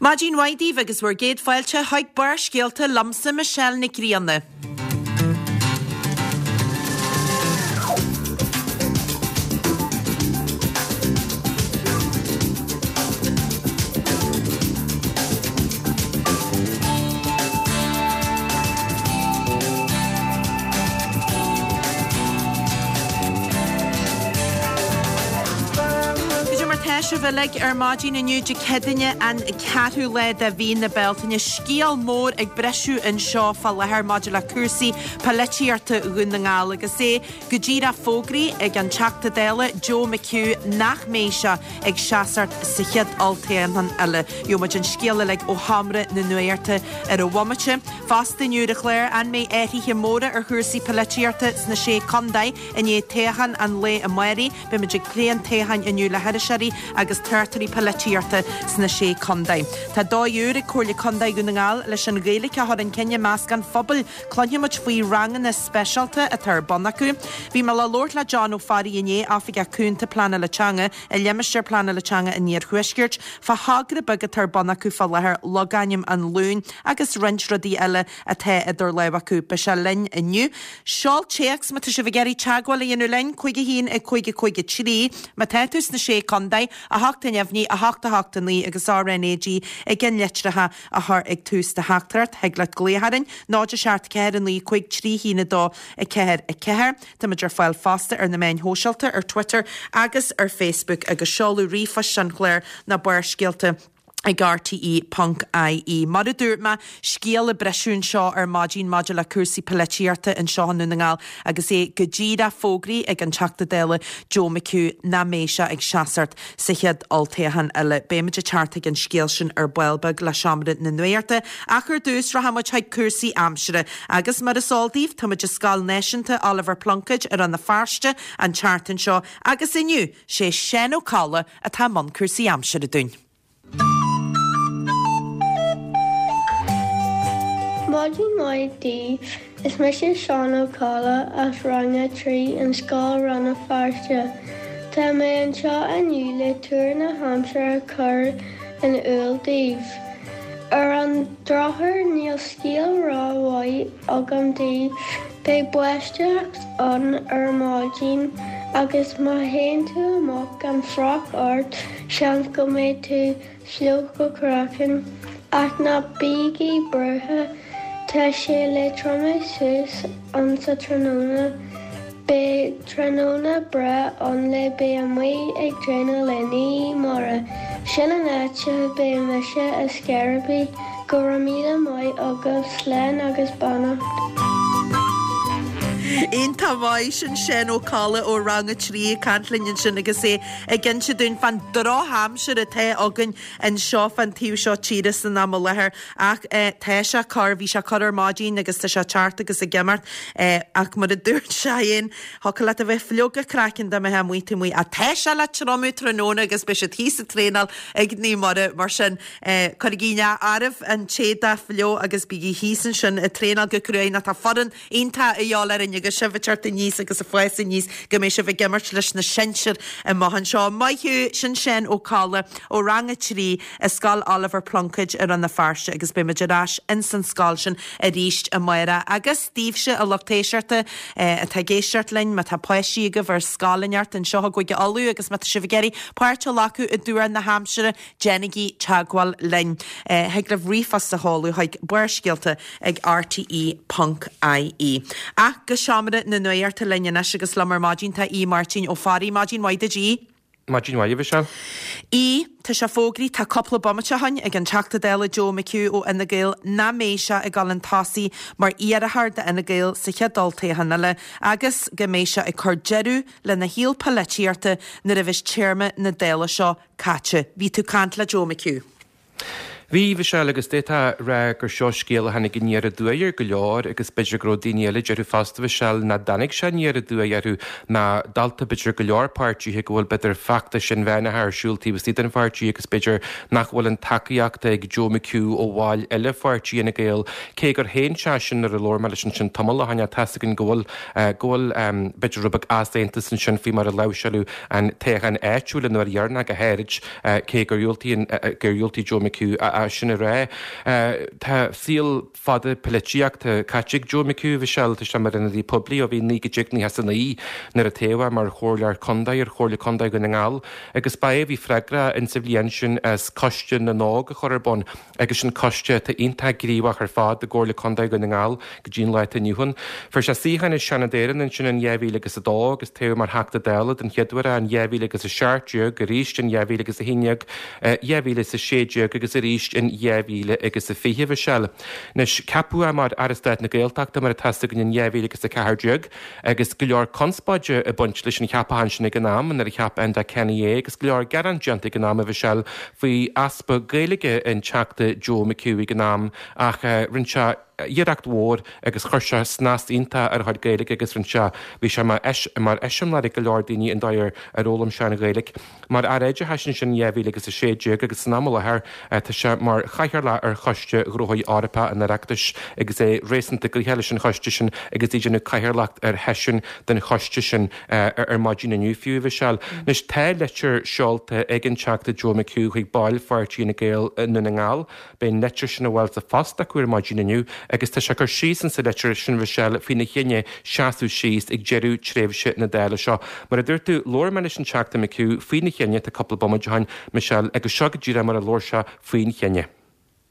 Maidin mhaith daoibh agus bhur gcéad fáilte chuig Barrscéalta liomsa Michelle Nic Grianna. Cad é mar tá sibh uilig ar maidin inniu Dé Céadaoine an ceathrú lá de mhí na Bealtaine. Scéal mór ag briseadh anseo fá láthair maidir le cúrsaí polaitíochta Dhún na nGall agus é go díreach fógraithe ag an Teachta Dála Joe McHugh nach mbeidh sé ag seasacht sa chéad olltoghchán eile. Gheobhaidh muid an scéal uilig ó Sheomra na Nuachta ar an bhomaite. Fosta inniu ar an chlár, an mbeidh athruithe móra ar chúrsaí polaitíochta sna Sé Contae i ndiaidh toghchán an lae amáirigh? Beidh muid ag plé an toghcháin inniu le hiriseoirí agus tráchtairí polaitíochta sna Sé Contae. Tá dóigh úr ag Comhairle Contae Dhún na nGall leis an Ghaeilge a chur chun cinn i measc an phobail. Cluinfidh muid faoi ranganna speisialta atá ar bun acu. Bhí mé le labhairt le John Ó Fearraigh inné, Oifigeach Cúnta Pleanála Teanga i Limistéar Pleanála Teanga an Iarthuaiscirt, fá thogra beag atá ar bun acu fá láthair, Logainm an Luain, agus roinnt rudaí eile atá idir lámha acu. Beidh sé linn inniu. Seol téacs má tá sibh ag iarraidh teagmháil a dhéanamh linn, 5 1 5 5 3, má tá tú sna Sé Contae, 8 neamhní, 8 8 9 agus RnaG ag an litreacha a chur ag tús do theachtaireacht. Thig leat glaoch orainn, 0 7 4 9 5 3 1 2 4 4. Táimid ar fáil fosta ar na meáin shóisialta, ar Twitter agus ar Facebook agus seoladh ríomhphoist an chláir ná Barrscéalta ag rte.ie. Mar a dúirt mé, scéal ag briseadh anseo ar maidin maidir le cúrsaí polaitíochta anseo i nDún na nGall agus é go díreach fógraithe ag an Teachta Dála Joe McHugh nach mbeidh sé ag seasacht sa chéad olltoghchán eile. Beimid ag teacht chuig an scéal sin ar ball beag le Seomra na Nuachta ach ar dtús rachaidh muid chuig cúrsaí aimsire agus mar is eol daoibh tá muid i Scoil Náisiúnta Oliver Plunkett i Rann na Feirste an tseachtain seo agus inniu sé Seán Ó Colla atá i mbun cúrsaí aimsire dúinn. Maidin mhaith daoibh, is mise Seán Ó Colla as Rang 3 in Scoil Rann na Feirste. Tá mé anseo inniu le tuar na haimsire a chur in iúl daoibh. Ar an drochuair níl scéal ró-mhaith agam daoibh, beidh báisteach ann ar maidin agus má théann tú amach gan froc ort seans go mbeidh tú fliuch go craiceann. Ach ná bígí buartha, tá sé le triomú suas ansa tráthnóna. Beidh tráthnóna breá ann le bheith amuigh ag traenáil le Naomh Muire. Sin an áit a mbeidh mise ar scor ar bith. Go raibh míle maith agaibh, slán agus beannacht. Iontach maith, sin Seán Ó Colla ó Rang 3 ag caint linn ansin agus é ag inse dúinn fán drochaimsir atá againn anseo fán taobh seo tíre san am i láthair ach tá sé ag cur, bhí sé ag cur ar maidin agus tá sé ag teacht agus ag imeacht ach mar a dúirt sé féin, thiocfadh leat a bheith fliuch go craiceann dá mbeifeá amuigh taobh amuigh ach tá sé le triomú tráthnóna agus beidh siad thíos ag traenáil ag Naomh Muire mar sin cuirigí in áireamh an t-éadach fliuch agus bígí thíos ansin ag traenáil go cruaidh nó tá foireann iontach a dhíobháil orainn agus sibh ag teacht aníos agus ag fás aníos go mbeidh sibh ag imirt leis na sinsir amach anseo. Maith thú, sin Seán Ó Colla ó Rang 3 i Scoil Oliver Plunkett i Rann na Feirste agus beidh muid ar ais ins an scoil sin arís amárach. Agus daoibhse a lucht éisteachta atá ag éisteacht linn, má tá páistí agaibh ar scoil inteacht anseo i gCúige Uladh agus má tá sibh ag iarraidh páirt a ghlacadh i dtuar na haimsire, Déanaigí teagmháil linn. Thig libh ríomhphost a sheoladh chuig barrscéalta ag rte ponc ie. Ach go seomra na nuachta linn anois agus liom ar maidin tá Aodh Máirtín Ó Fearraigh. Maidin mhaith duit Aodh. Maidin mhaith, a Mhichelle. Aodh, tá sé fógraithe, tá cúpla bomaite ó shin ag an Teachta Dála Joe McHugh ó Fhine Gael nach mbeidh sé ag dul chun tosaigh mar iarrthóir d'Fhine Gael sa chéad olltoghchán eile agus go mbeidh sé ag cur deireadh lena shaol polaitíochta nuair a bheas téarma na Dála seo caite. Bhí tú ag caint le Joe McHugh. Bhí, a Mhichelle, agus d'fhéadfá a rá gur seo scéal a tháinig aniar aduaidh ar go leor agus b'fhéidir go raibh daoine eile ag déarfadh fosta, a Mhichelle, nach dtáinig sé aniar aduaidh orthu ná dalta b'fhéidir go leor páirtithe go bhfuil b'fhéidir feachtais inmheánacha ar siúl taobh istigh den pháirtí agus b'fhéidir nach bhfuil an tacaíocht ag Joe McHugh ó bhaill eile pháirtí Fhine Gael cé gur shéan sé sin nuair a labhair mé leis ansin tamall ó shin ach tá's againn go bhfuil go bhfuil b'fhéidir rud beag easaontas ansin faoi mar a láimhseáladh an toghchán áitiúil an uair dheireanach go háirid, cé gur dhiúltaigh gur dhiúltaigh Joe McHugh a. é sin a rá. Tá saol fada poilitíochta caite ag Joe McHugh, a Mhichelle, tá sé mar ionadaí poiblí ó bhí 1999 nuair a toghadh é mar Chomhairleoir Contae ar Chomhairle Contae Dhún na nGall agus ba é a bhí freagrach insa bhliain sin as Coiste na nÓg a chur ar bun agus sin coiste atá iontach gníomhach ar fad i gComhairle Contae Dhún na nGall go dtí an lá atá inniu ann. Fuair sé suíochán i Seanad Éireann ansin in 2002 agus toghadh mar Theachta Dála den chéad uair é in 2017, arís in 2011, 2016 agus arís in 2020, a Mhichelle. Anois, ceapadh é mar Aire Stáit na Gaeltachta mar atá a fhios againn in 2014 agus go leor conspóide ag baint leis an cheapachán sin ag an am nuair a cheap Enda Kenny é agus go leor gearán déanta ag an am, a Mhichelle, faoi easpa Gaeilge an Teachta Joe McHugh ag an am ach rinne sé iarracht mhór agus chuir sé snas iontach ar a chuid Gaeilge agus rinne sé, bhí sé mar eiseamláir ag go leor daoine an dóigh ar ar fhoghlaim sé an Ghaeilge. Mar Aire Oideachais ansin in 2016 agus san am i láthair tá sé mar Chathaoirleach ar Choiste Ghnóthaí Eorpacha an Oireachtais agus é réasúnta gnoitheach leis an choiste sin agus é ag déanamh cathaoirleacht ar sheisiún den choiste sin ar maidin inniu fiú, a Mhichelle. Anois tá litir seolta ag an Teachta Joe McHugh chuig baill pháirtí Fhine Gael i nDún na nGall. Beidh an litir sin ag fáil sa phost acu ar maidin inniu agus tá sé ag cur síos insa litir sin, a Mhichelle, faoina chinneadh seasamh síos ag deireadh tréimhse na Dála seo. Mar a dúirt tú, labhair mé leis an Teachta McHugh faoina chinneadh, tá cúpla bomaite ó shin, Michelle, agus seo go díreach mar a labhair sé faoin chinneadh.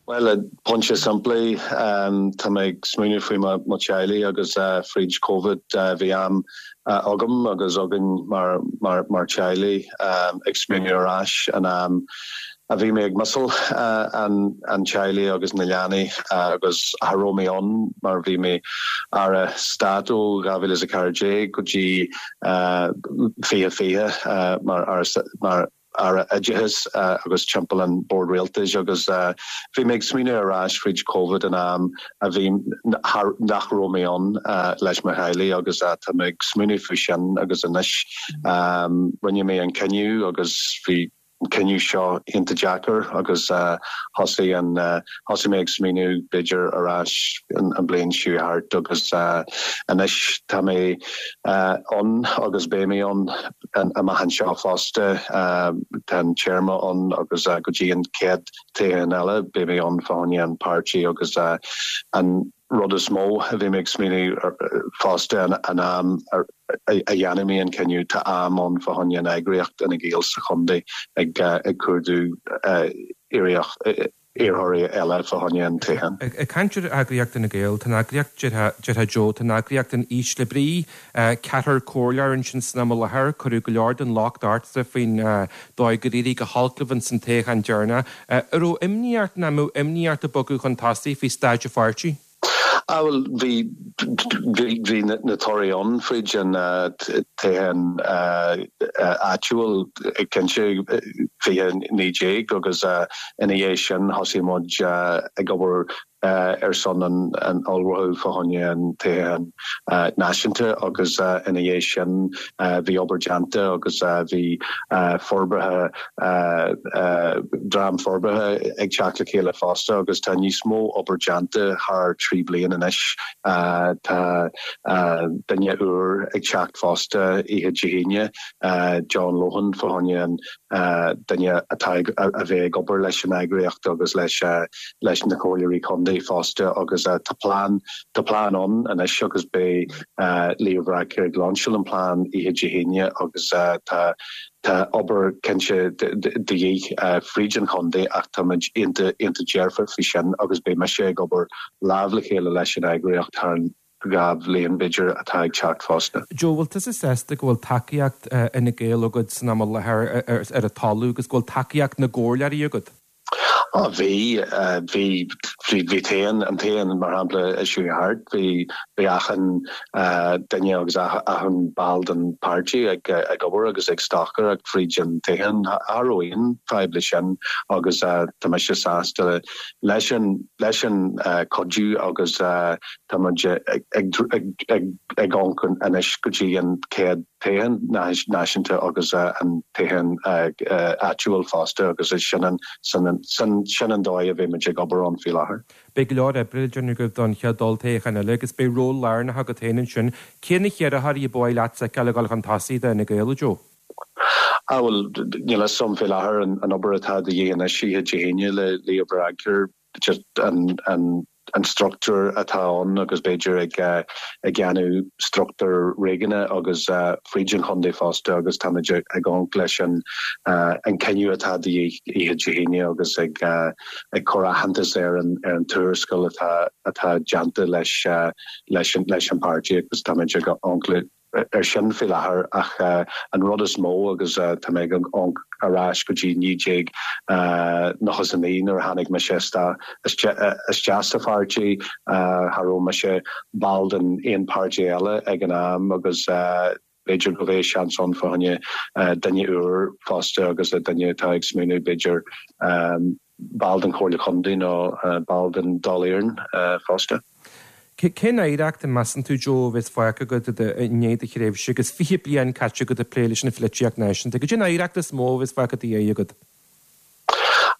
Bhuel, pointe simplí, tá mé ag smaoineamh faoi mo teaghlaigh agus fríd Covid bhí am agam agus againn mar teaghlaigh ag smaoineamh ar ais an am a bhí mé ag missáil an teaghlaigh agus na leanaí agus cha raibh mé ann mar bhí mé Aire Stáit ó 2014 go dtí 2020 mar mar Aire Oideachais agus timpeall an Bord Rialtais agus bhí mé ag smaoineamh ar ais fríd Covid an am a bhí nach raibh mé ann leis mo theaghlaigh agus tá mé ag smaoineamh faoi sin agus anois rinne mé an cinneadh agus bhí an cinneadh seo iontach deacair agus thosaigh an thosaigh mé ag smaoineamh b'fhéidir ar ais an bliain seo thart agus anois tá mé ann agus beidh mé ann amach anseo fosta. Tá an téarma ann agus go dtí an chéad toghchán eile beidh mé ann fá choinne an páirtí agus an rud is mó a bhí mé ag smaoineamh fosta an am a dhéanfaidh mé an cinneadh, tá am ann fá choinne an eagraíocht Fhine Gael sa chontae ag cuardú iarrthóirí eile fá choinne an toghchán. Ag caint ar eagraíocht Fhine Gael, tá an eagraíocht, déarfá Joe, tá an eagraíocht in ísle brí. Ceathrar comhairleoir ansin san am i láthair, cuireadh go leor den locht ortsa faoin dóigh gur éirigh go holc libh ins an toghchán deireanach. An raibh imní ort, nó an mbeadh imní ort ag bogadh chun tosaigh faoi staid an pháirtí? Ah bhuel bhí, bhí, bhí na torthaí ann fríd an toghchán áitiúil cinnte 2019 agus ina dhiaidh sin thosaigh muid ag obair ar son an ullmhú fá choinne an toghcháin náisiúnta agus ina dhiaidh sin bhí obair déanta agus bhí forbartha, dream forbartha ag teacht le chéile fosta agus tá níos mó obair déanta thar 3 bliain anois. Tá duine úr ag teacht fosta oíche Dé hAoine, John Lohan fá choinne an duine atá ag a bheith ag obair leis an eagraíocht agus leis leis na comhairleoirí contae fosta agus tá plean tá plean ann anois agus beidh Leo Varadkar ag lainseáil an plean oíche Dé hAoine agus tá tá obair cinnte de dhíth fríd an chontae ach táimid iontach iontach dearfa faoi sin agus beidh mise ag obair lámh le chéile leis an eagraíocht thar an 2 bhliain b'fhéidir atá ag teacht fosta. Joe, bhfuil tusa sásta go bhfuil tacaíocht Fhine Gael agat san am i láthair ar an talamh agus go bhfuil tacaíocht na gcomhairleoirí agat? Á bhí, bhí, bhí, bhí t-aon, an t-aon, mar shampla, seo thart, bhí, bhí achan duine agus achan ball den páirtí ag, ag obair agus ag stocaireacht fríd an toghchán. Cha raibh aon fadhb le sin agus tá mise sásta leis an, leis an cuidiú agus Tá muid ag amharc anois go dtí an chéad toghchán náisiúnta agus an toghchán áitiúil fosta agus sin an sin an dóigh a bheidh muid ag obair ann faoi láthair. Beidh go leor oibre le déanamh agaibh don chéad olltoghchán eile agus beidh ról lárnach agat féin ansin. Cé na hiarrthóirí a ba mhaith leatsa a fheiceáil ag dul chun tosaigh do Fhine Gael, a Joe? Ah bhuel, níl a fhios agam fé láthair an obair atá de dhíth anois oíche Dé hAoine le Leo Varadkar, just an an an struchtúr atá ann agus b'fhéidir ag ag déanamh struchtúr réigiúnach agus fríd an chontae fosta agus táimid ag amharc leis an an cinneadh atá de dhíth oíche Dé hAoine agus ag ag cur aitheantas ar an ar an tuarascáil atá atá déanta leis leis an leis an páirtí agus táimid ag amharc le ar sin faoi láthair ach an rud is mó agus tá mé ag amharc ar ais go dtí 1999 nuair a tháinig mise isteach sa pháirtí, cha raibh mise ball den aon páirtí eile ag an am agus b'fhéidir go bheidh seans ann fá choinne duine úr fosta agus duine atá ag smaoineamh b'fhéidir ball den Chomhairle Chontae nó ball den Dáil Éireann fosta. Cén oidhreacht a measann tú, Joe, a bheas fágtha agat i ndiaidh do thréimhse agus 20 bliain caite agat ag plé leis an pholaitíocht náisiúnta? Cad é an oidhreacht is mó a bheas fágtha i do dhiaidh agat?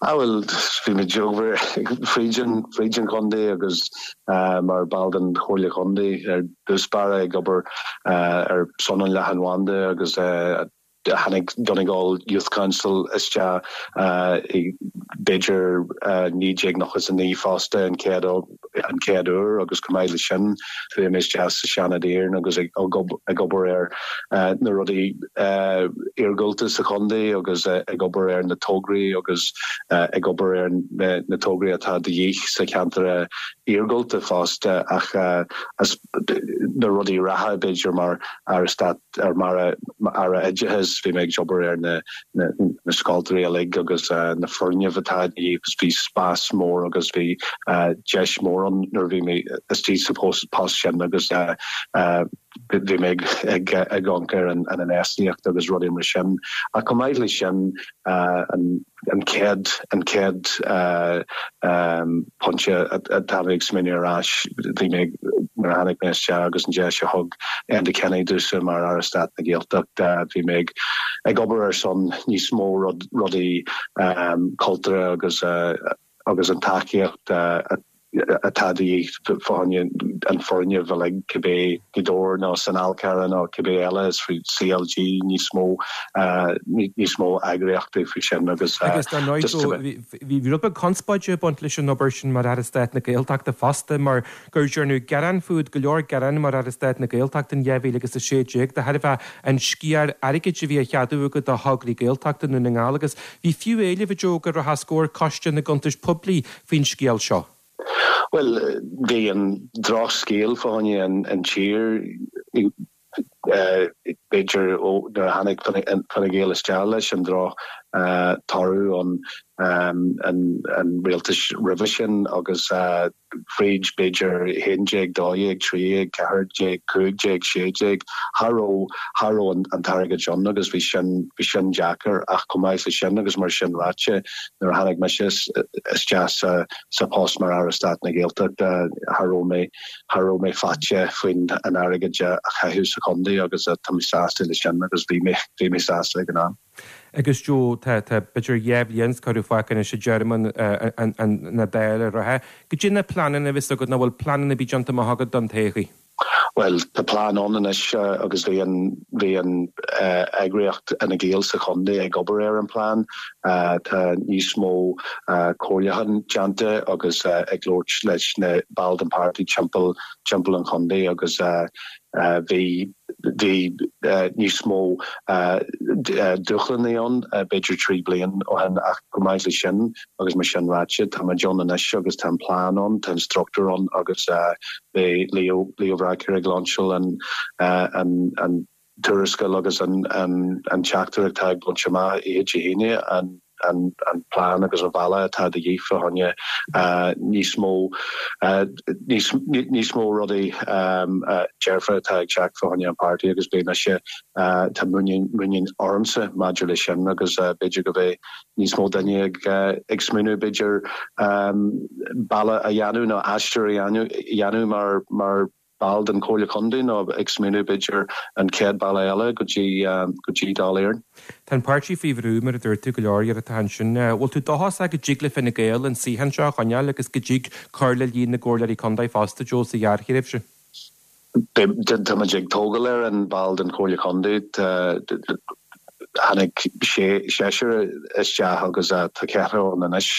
Ah bhuel, bhí mé ag obair fríd an, fríd an chontae agus mar ball den Chomhairle Chontae ar dtús báire ag obair ar son an leathanbhanda agus Tháinig Donegal Youth Council isteach i b'fhéidir 1999 fosta an chéad an chéad uair agus chomh maith leis sin chuaigh mé isteach sa Seanad Éireann agus ag ag obair ar na rudaí iargúlta sa chontae agus ag obair ar na tograí agus ag obair ar na tograí atá de dhíth sa cheantar iargúlta fosta ach na rudaí reatha b'fhéidir mar Aire Stáit ar mar Aire Oideachais bhí mé ag obair ar na na scoileanna uilig agus na foirgnimh atá de dhíth agus bhí spás mór agus bhí deis mór ann nuair a bhí mé istigh sa post sin agus bhí mé ag ag amharc ar an an infheistíocht agus rudaí mar sin. Ach chomh maith leis sin an an chéad an chéad pointe atá mé ag smaoineamh ar ais, bhí mé nuair a tháinig mé isteach agus an deis a thug Enda Kenny domhsa mar Aire Stáit na Gaeltachta, bhí mé ag ag obair ar son níos mó rudaí cultúrtha agus agus an tacaíocht a atá de dhíth fá choinne an foirgneamh uilig, cibé Gaoth Dobhair nó san Fhál Carrach nó cibé eile, is faoi CLG níos mó, níos mó eagraíochtaí faoi sin agus. Agus dar ndóigh Joe, bhí rud beag conspóide ag baint leis an obair sin mar Aire Stáit na Gaeltachta fosta mar gur dearnadh gearán fút, go leor gearán mar Aire Stáit na Gaeltachta in 2016 de thairbhe an sciar airgid a bhí á cheadú agat do thograí Gaeltachta i nDún na nGall agus bhí fiú éileamh a Joe go rachadh os comhair Coiste na gCuntas Poiblí faoin scéal seo? Bhuel, bhí an drochscéal fá choinne an tír, b'fhéidir, ó nuair a tháinig Fine Gael isteach leis an droch toradh an rialtais roimhe sin agus fríd b'fhéidir 11, 12, 13, 14, 15, 16, cha raibh, cha raibh an t-airgead ann agus bhí sin, bhí sin deacair ach chomh maith le sin agus mar sin ráite nuair a tháinig mise isteach sa, sa post mar Aire Stáit na Gaeltachta cha raibh mé, cha raibh mé faitíoch faoin an airgead a chaitheamh sa chontae agus tá mé sásta le sin agus bhí mé, bhí mé sásta ag an am. Agus Joe, tá, tá b'fhéidir dhá bhliain is corradh fágtha anois i dtéarma na Dála reatha. Goidé na pleananna a bheas agat nó bhfuil pleananna ar bith déanta amach agat don todhchaí? Bhuel, tá plean ann anois agus bhí an, bhí an eagraíocht Fhine Gael sa chontae ag obair ar an plean. Tá níos mó comhairliúchán déanta agus ag labhairt leis na baill den páirtí timpeall, timpeall an chontae agus Bhí bhí níos mó dúshlánaí ann b'fhéidir 3 bliain ó shin ach chomh maith le sin agus mar sin ráite tá muid ann anois agus tá an plean ann, tá an struchtúr ann agus beidh Leo Leo Varadkar ag lainseáil an an an tuarascáil agus an an an teachtaireacht atá ag baint amach oíche Dé hAoine an an plean agus an bealach atá de dhíth fá choinne níos mó níos mó rudaí dearfa atá ag teacht fá choinne an páirtí agus beidh mise tá muinín ormsa maidir leis sin agus b'fhéidir go mbeidh níos mó duine ag ag smaoineamh b'fhéidir bealach a dhéanamh nó aistear a dhéanamh mar mar ball den Chomhairle Contae nó ag smaoineamh b'fhéidir an chéad bealach eile go dtí go dtí Dáil Éireann. Tá an páirtí faoi bhrú, mar a dúirt tú, go leor iarrachtaí ansin. Bhfuil tú dóchasach go dtig le Fine Gael an suíochán seo a choinneáil agus go dtig cur le líon na gcomhairleoirí contae fosta, Joe, sa ghearrthréimhse? Tá muid ag tógáil ar an ball den Chomhairle Contae. Tháinig seisear isteach agus tá ceathrar ann anois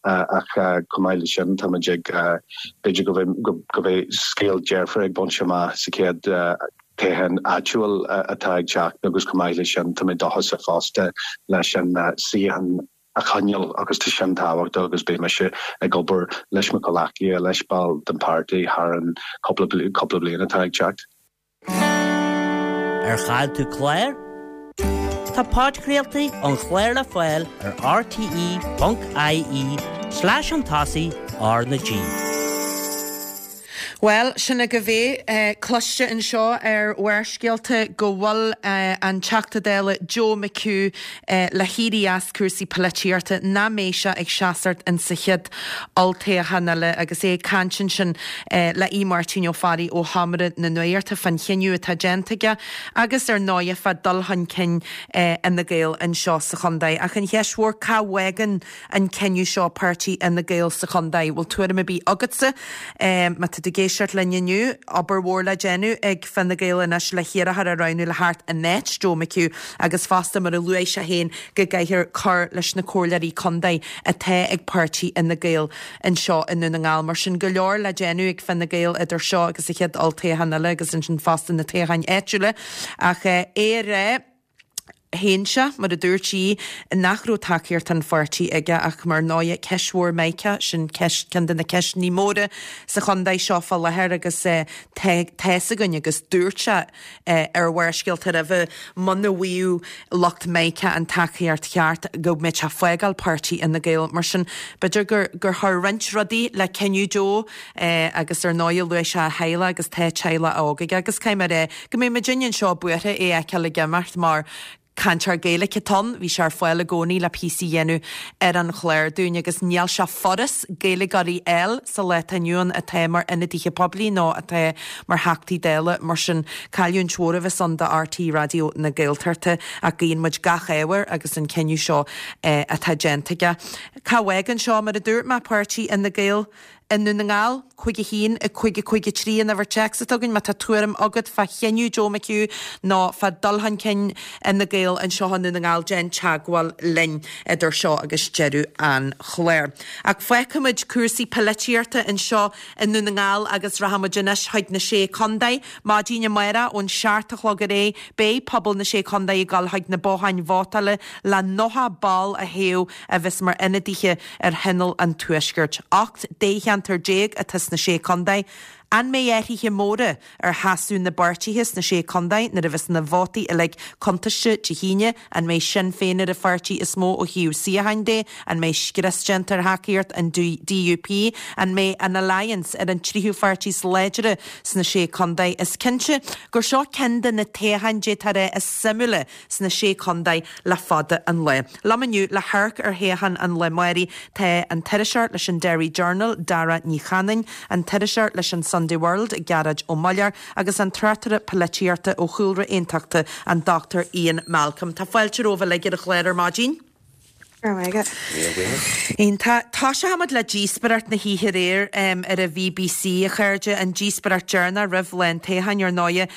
ach chomh maith leis sin táimid ag, b'fhéidir go mbeidh scéal dearfach ag baint amach sa chéad toghchán áitiúil atá ag teacht agus chomh maith leis sin tá mé dóchasach fosta leis an suíochán a choinneáil agus tá sin tábhachtach agus beidh mise ag obair leis mo chomhghleacaithe, leis baill den pháirtí thar an cúpla bliain atá ag teacht. Ar chaill tú clár? Tá podchraoltaí an chláir le fáil ar rte.ie slash chun tosaigh R na G. Bhuel, sin agaibh é. Cloiste anseo ar Bharrscéalta go bhfuil an Teachta Dála Joe McHugh le héirí as cúrsaí polaitíochta, nach mbeidh sé ag seasamh in sa chéad olltoghchán eile agus é ag caint ansin le Aodh Máirtín Ó Fearraigh ó Sheomra na Nuachta fán chinneadh atá déanta aige agus ar ndóighe fá dul chun cinn Fhine Gael anseo sa chontae. Ach an cheist mhór, cá bhfágann an cinneadh seo páirtí Fhine Gael sa chontae. Bhfuil tuairim ar bith agatsa? Má tá tú ag éisteacht linn inniu, obair mhór le déanamh ag Fine Gael anois le hiarrthóir a roghnú le theacht in áit Joe McHugh agus fosta mar a luaigh sé féin go gcaithfear cur leis na comhairleoirí contae atá ag páirtí Fhine Gael anseo i nDún na nGall. Mar sin go leor le déanamh ag Fine Gael idir seo agus an chéad olltoghchán eile agus ansin fosta na toghcháin áitiúla. Ach é a rá. Shéan sé, mar a dúirt sí, nach raibh tacaíocht an pháirtí aige ach mar ndóighe ceist mhór Micah, sin ceist, ceann de na ceisteanna móra sa chontae seo fá láthair agus tá tá's againn agus dúirt sé ar Bharrscéalta roimhe muna bhfaigheadh lucht Micah an tacaíocht cheart go mbeadh sé ag fágáil páirtí Fhine Gael. Mar sin b'fhéidir gur gur chuir roinnt rudaí le cinneadh Joe agus ar ndóighe luaigh sé a theaghlach agus tá teaghlach óg aige agus caithfidh mé a rá Go mbeidh muidinne anseo buartha é a fheiceáil ag imeacht mar cainteoir Gaeilge atá ann, bhí sé ar fáil i gcónaí le píosa a dhéanamh ar an chlár dúinn agus níl sé furast Gaeilgeoirí a fháil sa lá atá inniu ann atá mar ionadaithe poiblí nó atá mar Theachtaí Dála. Mar sin, cailliúint mhór a bheas ann do RTÉ Raidió na Gaeltachta ach guíonn muid gach ádh air agus an cinneadh seo atá déanta aige. Cá bhfágann seo, mar a dúirt mé, páirtí Fhine Gael? I nDún na nGall, 5 1, 5 5 3 an uimhir téacs atá againn má tá tuairim agat fá chinneadh Joe McHugh nó fá dul chun cinn Fhine Gael anseo i nDún na nGall déan teagmháil linn idir seo agus deireadh an chláir. Ach fágfaimid cúrsaí polaitíochta anseo i nDún na nGall agus rachaimid anois chuig na Sé Contae. Maidin amárach ón 7 a chlog ar aghaidh beidh pobal na Sé Contae ag dul chuig na botháin vótála le 90 ball a thoghadh a bheas mar ionadaithe ar Thionól an Tuaiscirt. 18 dtoghcheantar atá sna Sé Contae. An mbeidh athruithe móra ar sheasamh na bpáirtithe sna Sé Contae nuair a bheas na vótaí uilig cuntaiste Dé hAoine? An mbeidh Sinn Féin ar an pháirtí is mó ó thaobh suíocháin de? An mbeidh scrios déanta ar thacaíocht an DUP? An mbeidh an Alliance ar an tríú pháirtí is láidre sna Sé Contae? Is cinnte gur seo ceann de na toghcháin d'fhéadfá a rá is suimiúla sna Sé Contae le fada an lá. Liom inniu le hamharc ar thoghchán an lae amáirigh tá an t-iriseoir leis an Derry Journal, Dara Ní Chanainn, an t-iriseoir leis an Sunday World, Gearóid Ó Muilleoir agus an tráchtaire polaitíochta ó chúlra aontachtach, an Dr Ian Malcolm. Tá fáilte romhaibh uilig ar an chlár ar maidin. Go raibh maith agat. Míle buíochas. Iontach. Toiseochaimid le díospóireacht na hoíche aréir ar an bhBC, a chairde, an díospóireacht deireanach roimh lá an toghcháin, ar ndóighe.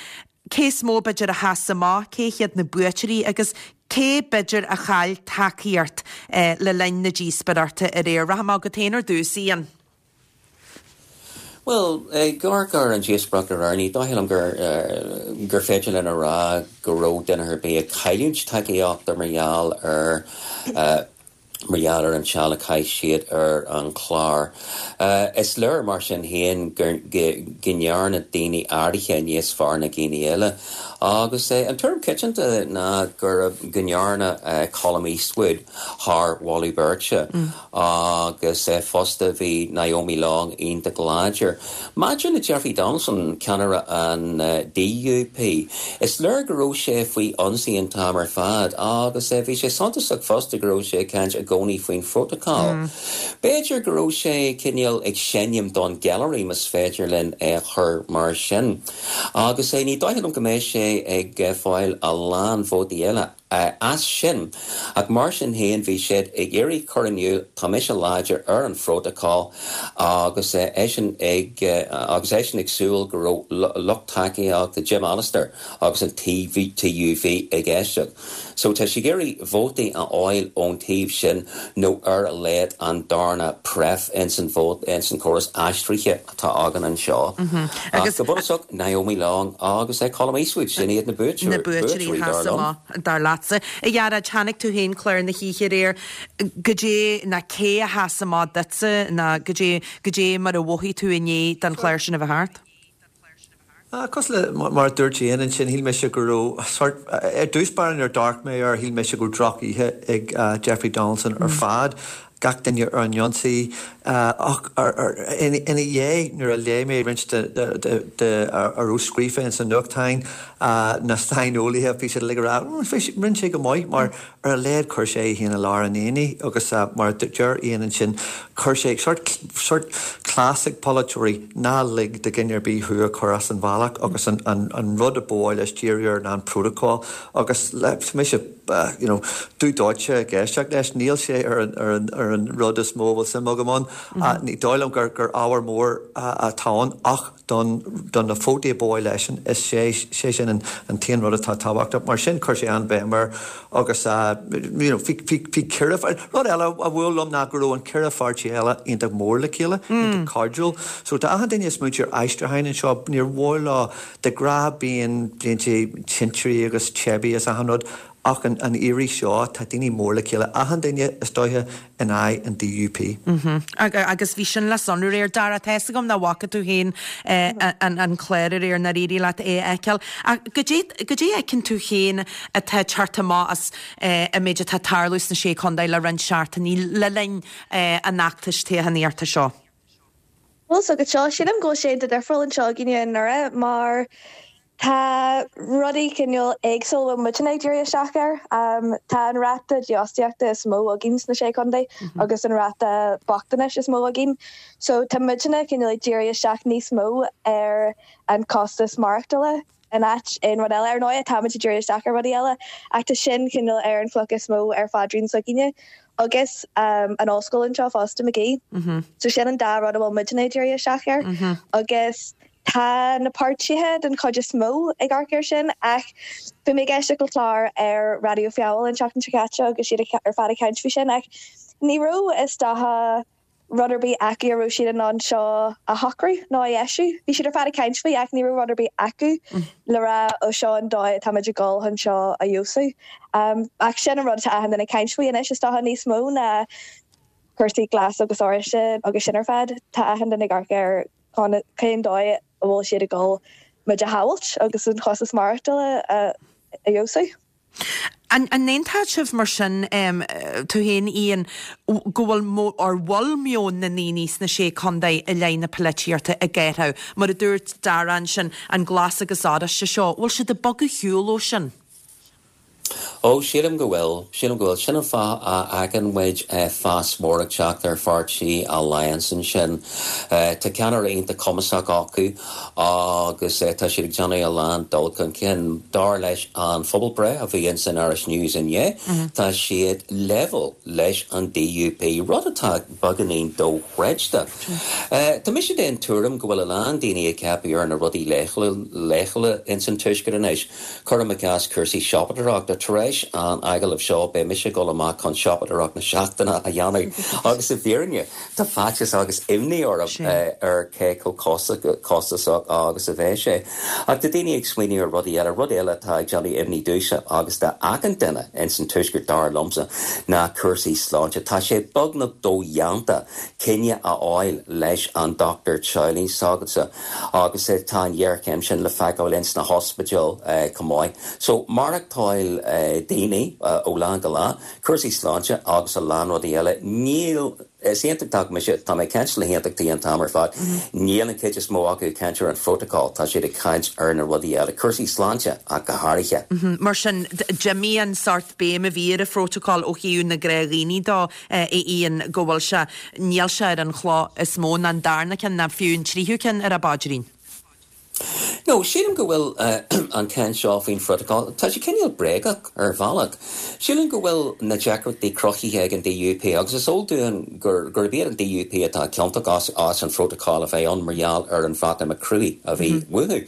Cé is mó, b'fhéidir, a sheas amach, cé hiad na buaiteoirí agus cé, b'fhéidir, a chaill tacaíocht le linn na díospóireachta aréir? Rachaidh mé chugat féin ar dtús, Ian. Bhuel, ag amharc ar an díospóireacht aréir, ní dóigh liom gur gur féidir linn a rá go raibh duine ar bith ag cailliúint tacaíochta mar gheall ar mar gheall ar an seal a chaith siad ar an chlár. Is léir, mar sin féin, go ndearna daoine áirithe níos fearr ná daoine eile. Agus an tuairim coitianta ná go ndearna Colum Eastwood thar mholadh beirte. Agus fosta bhí Naomi Long iontach láidir. Maidir le Jeffrey Donaldson, ceannaire an DUP, is léir go raibh sé faoi ionsaí an t-am ar fad agus bhí sé suntasach fosta go raibh sé ag caint i gcónaí faoin phrótacal. B'fhéidir go raibh sé cineál ag seinm don ghailearaí, más féidir linn é a chur mar sin. Agus ní dóigh liom go mbeidh sé ag fáil a lán vótaí eile. As sin. Ach mar sin féin, bhí siad ag iarraidh cur in iúl, tá mise láidir ar an phrótacal agus eisean ag agus eisean ag súil go raibh lucht tacaíochta Jim Allister agus an TUV ag éisteacht. So tá sé ag iarraidh vótaí a fháil ón taobh sin nó ar a laghad an darna pref ins an vóta ins an córas aistrithe atá againn anseo. Ach go bunúsach, Naomi Long agus Colum Eastwood, sin iad na buaiteoirí, na buaiteoirí dar liom. Dar leatsa. A Ghearóid, chonaic tú féin clár na hoíche aréir. Goidé ná cé a sheas amach duitse ná goidé, goidé mar a mhothaigh tú i ndiaidh don chlár sin a bheith thart? Cosúil le mar a dúirt Ian ansin, shíl mise go raibh sort, ar dtús báire nuair a d'amharc mé air, shíl mise go raibh droch-oíche ag Jeffrey Donaldson ar fad, gach duine ar an ionsaí. Ach ina dhiaidh, nuair a léigh mé roinnt de a raibh scríofa ins na nuachtáin, na saineolaithe, bhí siad uilig ag rá, rinne sé go maith mar Ar a laghad chuir sé é féin i lár an aonaigh agus mar a deir Ian ansin, chuir sé sort, sort cleas ag polaiteoirí, ná lig do dhuine ar bith thú a chur as an bhealach agus an, an, an rud a ba mhaith leis díriú air ná an protocol agus tá mise you know dubh dóite ag éisteacht leis, níl sé ar an, ar an, ar an rud is mó a bhfuil suim agam ann. Ní dóigh liom gur, gur ábhar mór atá ann ach don do na vótaí a ba mhaith leisean, is é sé sin an an t-aon rud atá tábhachtach. Mar sin chuir sé an-bhéim air agus you know bhí bhí bhí ceithre rud eile a bhuail liom ná go raibh an ceithre pháirtí eile iontach mór le chéile, iontach cairdiúil. So tá achan duine ag smaointiú ar aistriúcháin anseo, níor mhaith leo de ghnáth bíonn blianta tintirí agus teibí is achan rud Ach an iarraidh seo, tá daoine mór le chéile, achan duine, is dóiche, in aghaidh an DUP. Agus bhí sin le sonrú aréir. Dara, tá fhios agam nach bhfaca tú féin an clár aréir, nár éirigh leat é a fheiceáil. Ach goidé goidé a fheiceann tú féin atá ag teacht amach as an méid atá ag tarlú sna Sé Chontae le roinnt seachtainí le linn an fheachtais toghchánaíochta seo? Bhuel, so go seo, sílim go bhfuil sé iontach difriúil anseo againne i nDoire mar tá rudaí cineál éagsúil a bhfuil muidne ag díriú isteach air. Tá an ráta dífhostaíochta is mó againn sna Sé Chontae agus an ráta bochtanais is mó againn. So tá muidne cineál ag díriú isteach níos mó ar an costas maireachtála in áit aon rud eile. Ar ndóigh, táimid ag díriú isteach ar rudaí eile ach tá sin cineál ar an chloch is mó ar phaidrín s'againne agus an ollscoil anseo fosta, Magee. So sin an dá rud a bhfuil muidne ag díriú isteach air agus tá na páirtithe den chuid is mó ag amharc air sin ach bhí mé ag éisteacht le clár ar Raidió Feabhail an tseachtain seo caite agus iad ar fad ag caint faoi sin ach ní raibh is dócha rud ar bith acu a raibh siad in ann seo a shocrú nó a dheisiú. Bhí siad ar fad ag caint faoi ach ní raibh rud ar bith acu le rá ó seo an dóigh atáimid ag dul chun seo a fheabhsú. Ach sin an rud atá achan duine ag caint faoi anois is dócha níos mó ná cúrsaí glas agus oráiste agus sin ar fad. Tá achan duine ag amharc ar cén dóigh a bhfuil siad ag dul muid a shábhailt agus an costas maireachtála a fheabhsú. An n-aontódh sibh mar sin, tú féin Ian, go bhfuil, or bhfuil meon na ndaoine sna Sé Contae i leith na polaitíochta ag athrú? Mar a dúirt Dara ansin, an glas agus oráiste seo, bhfuil siad ag bogadh ar shiúl ó sin? Ó, sílim go bhfuil. Sílim go bhfuil. Sin an fáth a fheiceann muid fás mór ag teacht ar pháirtí Alliance ansin. Tá ceannaire iontach cumasach acu agus tá siad ag déanamh a lán dul chun cinn. Dar leis an phobalbhreith a bhí ins an Irish News inné, tá siad level leis an DUP, rud atá beagáinín dochreidte. Tá mise den tuairim go bhfuil a lán daoine ag ceapadh ar na rudaí leochaileacha ins an Tuaisceart anois. Cuirim i gcás cúrsaí siopadóireachta. Tar éis an agallaimh seo beidh mise ag dul amach chun siopadóireacht na seachtaine a dhéanamh agus i bhfírinne tá faitíos agus imní orm ar cé chomh costasach agus a bheidh sé. Ach tá daoine ag smaoineamh ar rudaí eile. Rud eile atá ag déanamh imní domhsa agus d'achan duine ins an Tuaisceart dar liomsa ná cúrsaí sláinte. Tá sé beagnach dodhéanta coinne a fháil leis an dochtúir teaghlaigh s'agatsa. Agus tá an ghéarchéim sin le feiceáil ins na hospidéil chomh maith. So, maireachtáil daoine ó lá go lá, cúrsaí sláinte agus a lán rudaí eile, níl, is aontachtach mise, tá mé ag caint le haontachtaí an t-am ar fad, níl an chuid is mó acu ag caint ar an phrótacal, tá siad ag caint ar na rudaí eile, cúrsaí sláinte ach go háirithe. Mar sin, d'imigh an sórt béim a bhí ar an phrótacal ó thaobh na gnáthdhaoine de. a Ian, go bhfuil sé, níl sé ar an chloch is mó, ná an darna ceann, ná fiú an tríú ceann ar a bpaidrín. No. No, sílim go bhfuil an chaint seo faoin phrótacal, tá sé cineál bréagach ar bhealach. Sílim go bhfuil na deacrachtaí cruthaithe ag an DUP agus is eol dúinn gur gurb iad an DUP atá ciontach as as an phrótacal a bheith ann mar gheall ar an Bhreatimeacht cruaidh a bhí uathu.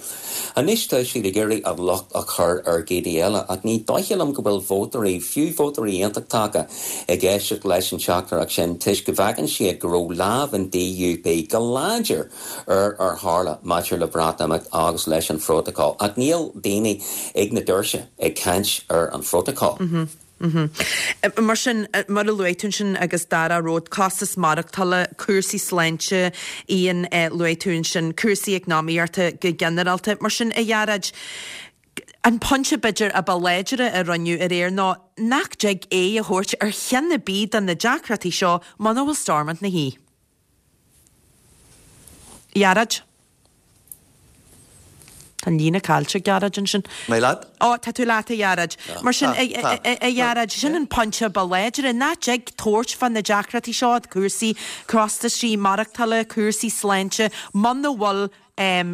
Anois tá siad ag iarraidh an locht a chur ar dhaoine eile ach ní dóiche liom go bhfuil vótóirí, fiú vótóirí aontachtacha, ag éisteacht leis an teachtaireacht sin toisc go bhfeiceann siad go raibh lámh an DUP go láidir ar ar tharla maidir le Breatimeacht agus leis an phrótacal, ach níl daoine ag na doirse ag caint ar an phrótacal. Mar sin, mar a luaigh tú ansin agus Dara Ród, costas maireachtála, cúrsaí sláinte, Ian, luaigh tú ansin cúrsaí eacnamaíochta go ginearálta. Mar sin, a Ghearóid, an pointe b'fhéidir a ba láidre a rinneadh aréir ná nach dtig aghaidh a thabhairt ar cheann ar bith de na deacrachtaí seo muna bhfuil Stormont 'na shuí. Ghearóid. Tá an líne caillte ag Gearóid ansin. Mé leat? Ó, tá tú leat, a Ghearóid. Mar sin, a Ghearóid, sin an pointe ba láidre, nach dtig tabhairt fá na deacrachtaí seo, cúrsaí costaisí maireachtála, cúrsaí sláinte, muna bhfuil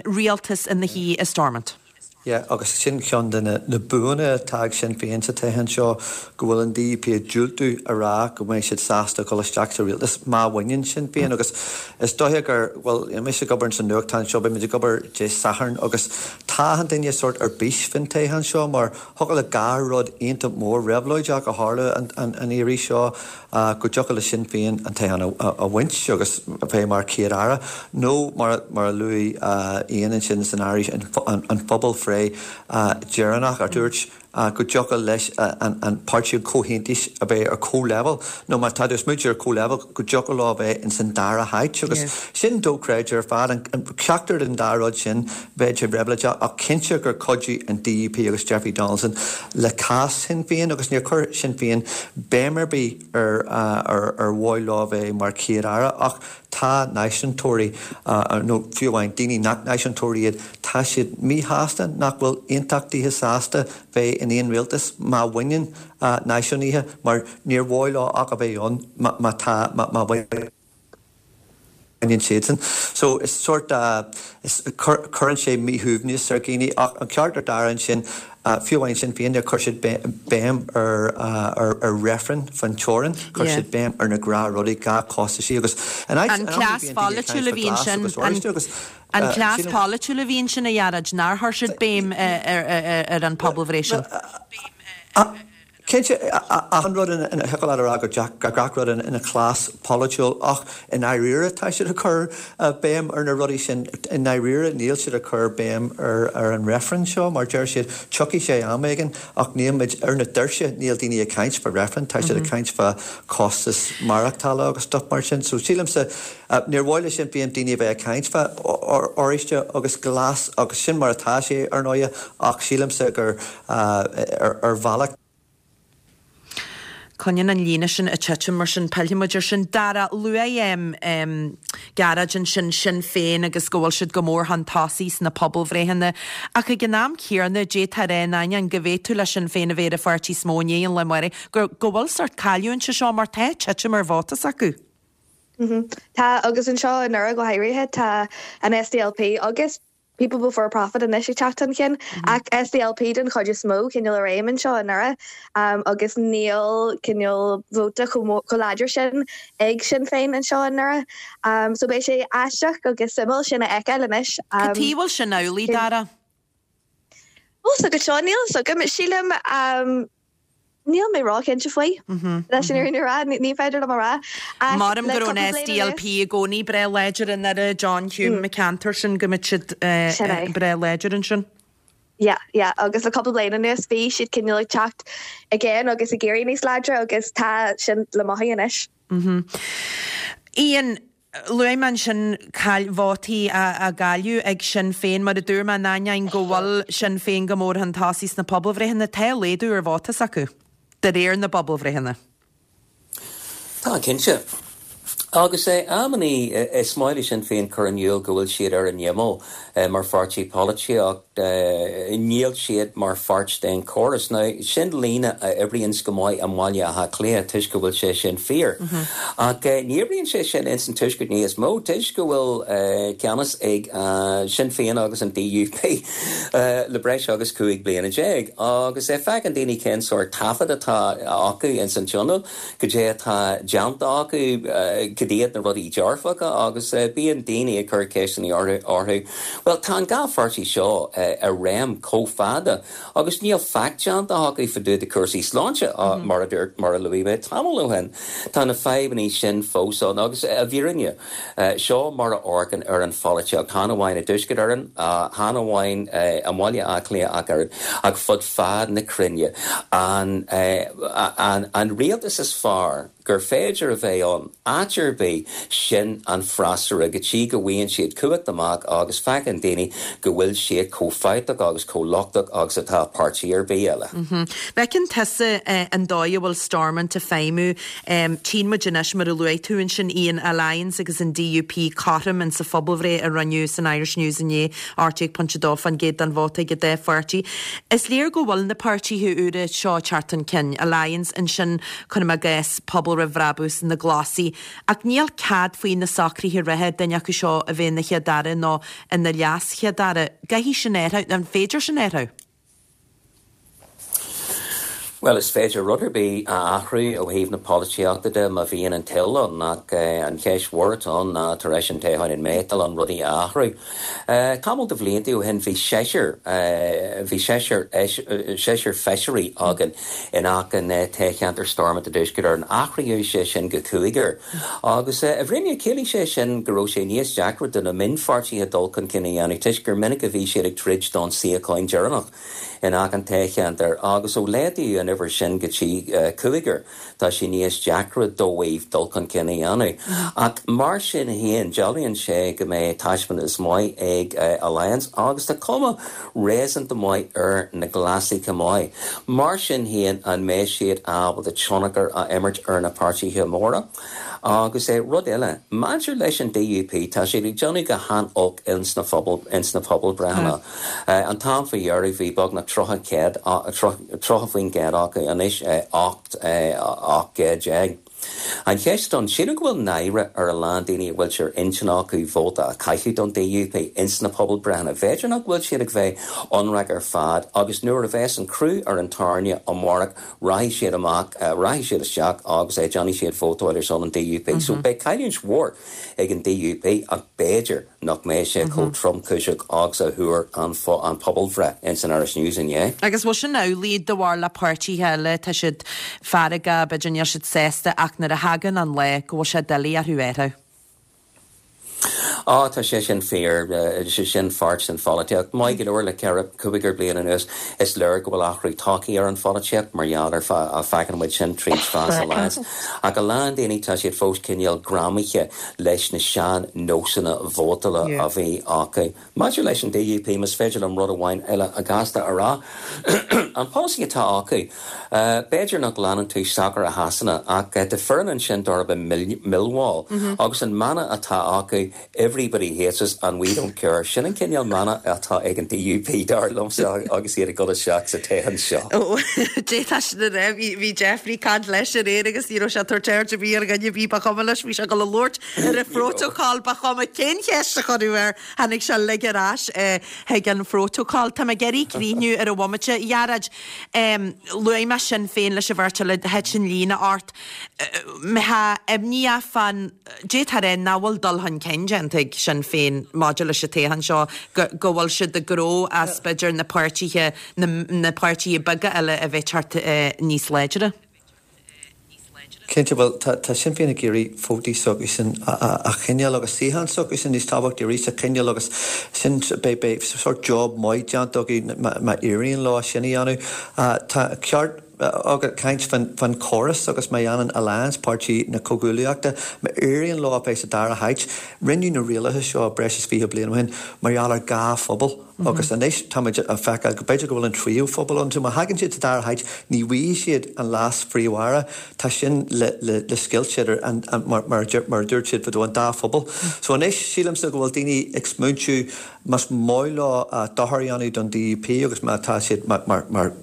rialtas ina shuí i Stormont. Yeah, agus sin ceann de na buanna atá ag Sinn Féin sa toghchán seo, go bhfuil an DUP ag diúltú a rá go mbeidh siad sásta dul isteach sa rialtas má bhaineann Sinn Féin agus is dóiche gur, bhuel, mise ag obair sa nuachtán seo, beidh muid ag obair Dé Sathairn agus tá achan duine sórt ar bís faoin toghchán seo mar thiocfadh le dhá rud iontach mór réabhlóideach a tharlú an iarraidh seo. go dtiocfadh le Sinn Féin an toghchán a bhaint agus a bheith mar Chéad-Aire, nó mar a luaigh Ian ansin san áirithe an phobalbhreith dheireanach a dúirt go dtiocfadh leis an Páirtí an Chomhaontais a bheith ar comhleibhéal, nó má tá tú ag smaointiú ar comhleibhéal, go dtiocfadh leo a bheith ins an dara háit agus sin dochreidte ar fad. Ceachtar den dá rud sin bheadh sé réabhlóideach ach cinnte gur chuidigh an DUP agus Jeffrey Donaldson le cás Shinn Féin agus níor chuir Sinn Féin béim ar bith ar ar mhaith leo bheith mar Chéad-Aire ach tá náisiúntóirí, nó fiú amháin daoine nach náisiúntóirí iad, tá siad míshásta nach bhfuil aontachtaithe sásta bheith in aon rialtas má bhaineann náisiúnaithe mar níor mhaith leo ach a bheith ann má tá má bhaineann. baineann siadsan. So is sórt is cuireann sé míshuaimhneas ar dhaoine ach an ceart ar Dara ansin fiú amháin Sinn Féin níor chuir siad béim ar ar reifreann faoin teorainn, chuir siad béim ar na gnáthrudaí, gnáthchostaisí agus in áit An cleas polaitiúil a bhí ansin, an cleas polaitiúil a bhí ansin a Ghearóid, nár chuir siad béim ar an pobalbhreith sin. Cinnte, achan rud ina, thiocfadh leat a rá go gach rud ina chleas polaitiúil ach i ndáiríre tá siad ag cur béim ar na rudaí sin. I ndáiríre níl siad ag cur béim ar an reifreann seo mar deir siad tiocfaidh sé am éigin ach níl muid ar na doirse, níl daoine ag caint fá reifreann, tá siad ag caint fá chostas maireachtála agus stuff mar sin. So sílimse níor mhaith le Sinn Féin daoine a bheith ag caint fá oráiste agus glas agus sin mar atá sé ar ndóighe ach sílimse gur ar bhealach. Coinníonn an líne sin ag titim mar sin pillfidh muid ar sin. Dara, luaigh Gearóid ansin Sinn Féin agus go bhfuil siad go mór chun tosaigh sna pobalbhreitheanna ach ag an am céanna d'fhéadfá a rá in ainneoin go bhféadfadh le Sinn Féin a bheith ar an pháirtí is mó i ndiaidh an lae amárach go go bhfuil sórt cailliúint anseo mar tá titim ar vóta s'acu. Tá agus anseo i nDoire go háirithe tá an SDLP agus People Before Profit anois ag teacht chun cinn, ach SDLP den chuid is mó, cineál i réim anseo i nDoire, agus níl cineál vóta chomh láidir sin ag Sinn Féin anseo i nDoire. So beidh sé aisteach agus suimiúil sin a fheiceáil anois. Cad chuige a bhfuil sin amhlaidh, Dara? Bhfuil 's agat seo, níl 's agam. Sílim. Níl mé róchinnte faoi, leis an fhírinne a rá, ní féidir liom a rá. Ach Maram go raibh an SDLP i gcónaí breá láidir i nDoire, John Hume, na ceantair sin, go mbeadh siad breá láidir ansin. Yeah, yeah, agus le cúpla bliain anuas bhí siad cineál ag teacht again agus ag éirí níos láidre agus tá sin le mothú anois. Ian, Luaigh mé ansin caill vótaí á gcailleadh ag Sinn Féin. Mar a dúirt mé, in ainneoin go bhfuil Sinn Féin go mór chun tosaigh sna pobalbhreitheanna, tá laghdú ar vóta s'acu, de réir na bpobalbhreitheanna. Tá, cinnte. Agus amannaí is maith le Sinn Féin cur in iúl go bhfuil siad ar an imeall mar pháirtí polaitíocht, níl siad mar pháirt den chóras. Now, sin líne a oibríonns go maith i mBaile Átha Cliath toisc go bhfuil sé sin fíor. Ach ní oibríonn sé sin ins an Tuaisceart níos mó toisc go bhfuil ceannas ag Sinn Féin agus an DUP le breis agus 15 bliana. Agus feiceann daoine cén sórt taifead atá acu ins an Tionól. Goidé atá déanta acu, cad iad na rudaí dearfacha agus bíonn daoine ag cur ceisteanna orthu. Bhuel, tá an dá pháirtí seo i réim chomh fada agus níl faic déanta acu fá dtaobh de cúrsaí sláinte, mar a dúirt, mar a luaigh mé tamall ó shin. Tá na fadhbanna sin fós ann agus i bhfírinne, Seo mar a amharcann ar an pholaitíocht, chan amháin i dTuaisceart Éireann, chan amháin i mBaile Átha Cliath ach oiread, ach fud fad na cruinne. An an rialtas is fearr gur féidir a bheith ann, áit ar bith, sin an freasúra, go dtí go bhfaigheann siad cumhacht amach agus feiceann daoine go bhfuil siad chomh fabhtach agus chomh lochtach agus atá páirtí ar bith eile. Feiceann tusa an dóigh a bhfuil Stormont ag feidhmiú Tchíonn muid anois, mar a luaigh tú ansin, Ian, Alliance agus an DUP cothrom in sa phobalbhreith a rinneadh san Irish News inné, 18.2% den vóta ag an dá pháirtí. Is léir go bhfuil na páirtithe úra seo ag teacht chun cinn, Alliance ansin, cuirim i gcás, Pobal Roimh Bhrabús, na Glasaigh, ach níl cead faoi na socruithe reatha duine acu seo a bheith ina Chéad-Aire nó ina LeasChéad-Aire. An gcaithfidh sin athrú, an féidir sin a athrú? Bhuel, is féidir rud ar bith a athrú ó thaobh na polaitíochta de má bhíonn an toil ann, ach an cheist mhór atá ann ná tar éis an toghcháin an mbeidh toil ann rudaí a athrú. Tamall de bhlianta ó shin bhí seisear, bhí seisear, seisear feisirí againn in achan toghcheantar Stormont i dTuaisceart Éireann. Athraíodh sé sin go cúigear. Agus i bhfírinne, chiallaigh sé sin go raibh sé níos deacra do na mionpháirtithe dul chun cinn a dhéanamh toisc gur minic a bhí siad ag troid don suíochán deireanach in achan toghcheantar. Agus ó laghdaíodh an uimhir sin go dtí cúigear, tá sé níos deacra dóibh dul chun cinn a dhéanamh. Ach mar sin féin, dealraíonn sé go mbeidh taispeántas maith ag Alliance agus tá cuma réasúnta maith ar na Glasaigh chomh maith. Mar sin féin, an mbeidh siad ábalta tionchar a imirt ar na páirtithe móra? Agus rud eile, maidir leis an DUP, tá siad ag déanamh go han-olc ins na pobalbhreitheanna. An t-am faoi dheireadh bhí beagnach 30 céad, 30% acu, anois 18 gcéad. An cheist ann, sílim go bhfuil náire ar a lán daoine a bhfuil sé ar intinn acu vóta a chaitheamh don DUP ins na pobalbhreitheanna. B'fhéidir nach bhfuil siad ag bheith ionraic ar fad agus nuair a bheas an crú ar an tairne amárach rachaidh siad amach, rachaidh siad isteach agus déanfaidh siad vótáil ar son an DUP. So beidh cailliúint mhór ag an DUP ach b'fhéidir nach mbeidh sé chomh tromchúiseach agus a thuar an pobalbhreith ins an Irish News inné. Agus bhfuil sin amhlaidh do bharúil le páirtithe eile, tá siad feargach, b'fhéidir níl siad sásta ach nuair a thagann an lá go bhfuil sé doiligh orthu athrú. Á, tá sé sin fíor, sé sin pháirt den pholaitíocht. Maith go leor le ceithre, cúigear bliain anuas is léir go bhfuil athrú tagtha ar an pholaitíocht mar gheall ar, feiceann muid sin tríd fás Alliance. Ach a lán daoine tá siad fós cineál greamaithe leis na sean-nósanna vótála a bhí acu. Maidir leis an DUP, más féidir liom rud amháin eile gasta a rá, an polasaí atá acu, b'fhéidir nach leanann tú sacar i Shasana, ach tá foireann ansin darb ainm Millwall, agus an mana atá acu, Everybody hates us and we don't care. Sin an cineál mana atá ag an DUP, dar liomsa, agus iad ag dul isteach sa toghchán seo. Ó, d'fhéadfá sin a rá. Bhí Jeffrey ag caint leis aréir agus ní raibh sé ag tabhairt aird ar bith ar dhuine ar bith, ba chuma leis, bhí sé ag dul a labhairt ar an phrótacal, ba chuma cén cheist a cuireadh air, tháinig sé uilig ar ais chuig an phrótacal. Tá mé ag iarraidh críochnú ar an bhomaite. A Ghearóid, luaigh mé Sinn Féin leis an bheirt eile, thit an líne ort. Mbeifeá imníoch fán D'fhéadfá a rá nach bhfuil dul chun cinn déanta ag Sinn Féin maidir leis an toghchán seo, go go bhfuil siad ag gnó as b'fhéidir na páirtithe, na na páirtithe beaga eile a bheith ag teacht níos láidre. Cinnte, bhuel, tá tá Sinn Féin ag iarraidh vótaí s'acusan a a a choinneáil agus suíocháin s'acusan níos tábhachtaí arís a choinneáil agus sin beidh beidh sórt job maith déanta acu má má éiríonn leo sin a dhéanamh. Tá ceart. ag caint fán chóras agus má dhéanann Alliance, Páirtí na Comhghuaillíochta, má éiríonn leo a bheith sa dara háit, rinneadh na rialacha seo breis is 20 bliain ó shin mar gheall ar dhá phobal agus anois táimid ag feiceáil go b'fhéidir go bhfuil an tríú phobal ann. So má thagann siad sa dara háit ní bhfaighidh siad an leas-phríomh-aire, tá sin le scoilt idir an, mar a dúirt siad fadó, an dá phobal. So anois sílimse go bhfuil daoine ag smaointiú más maith leo dochar a dhéanamh don DUP agus má tá siad, mar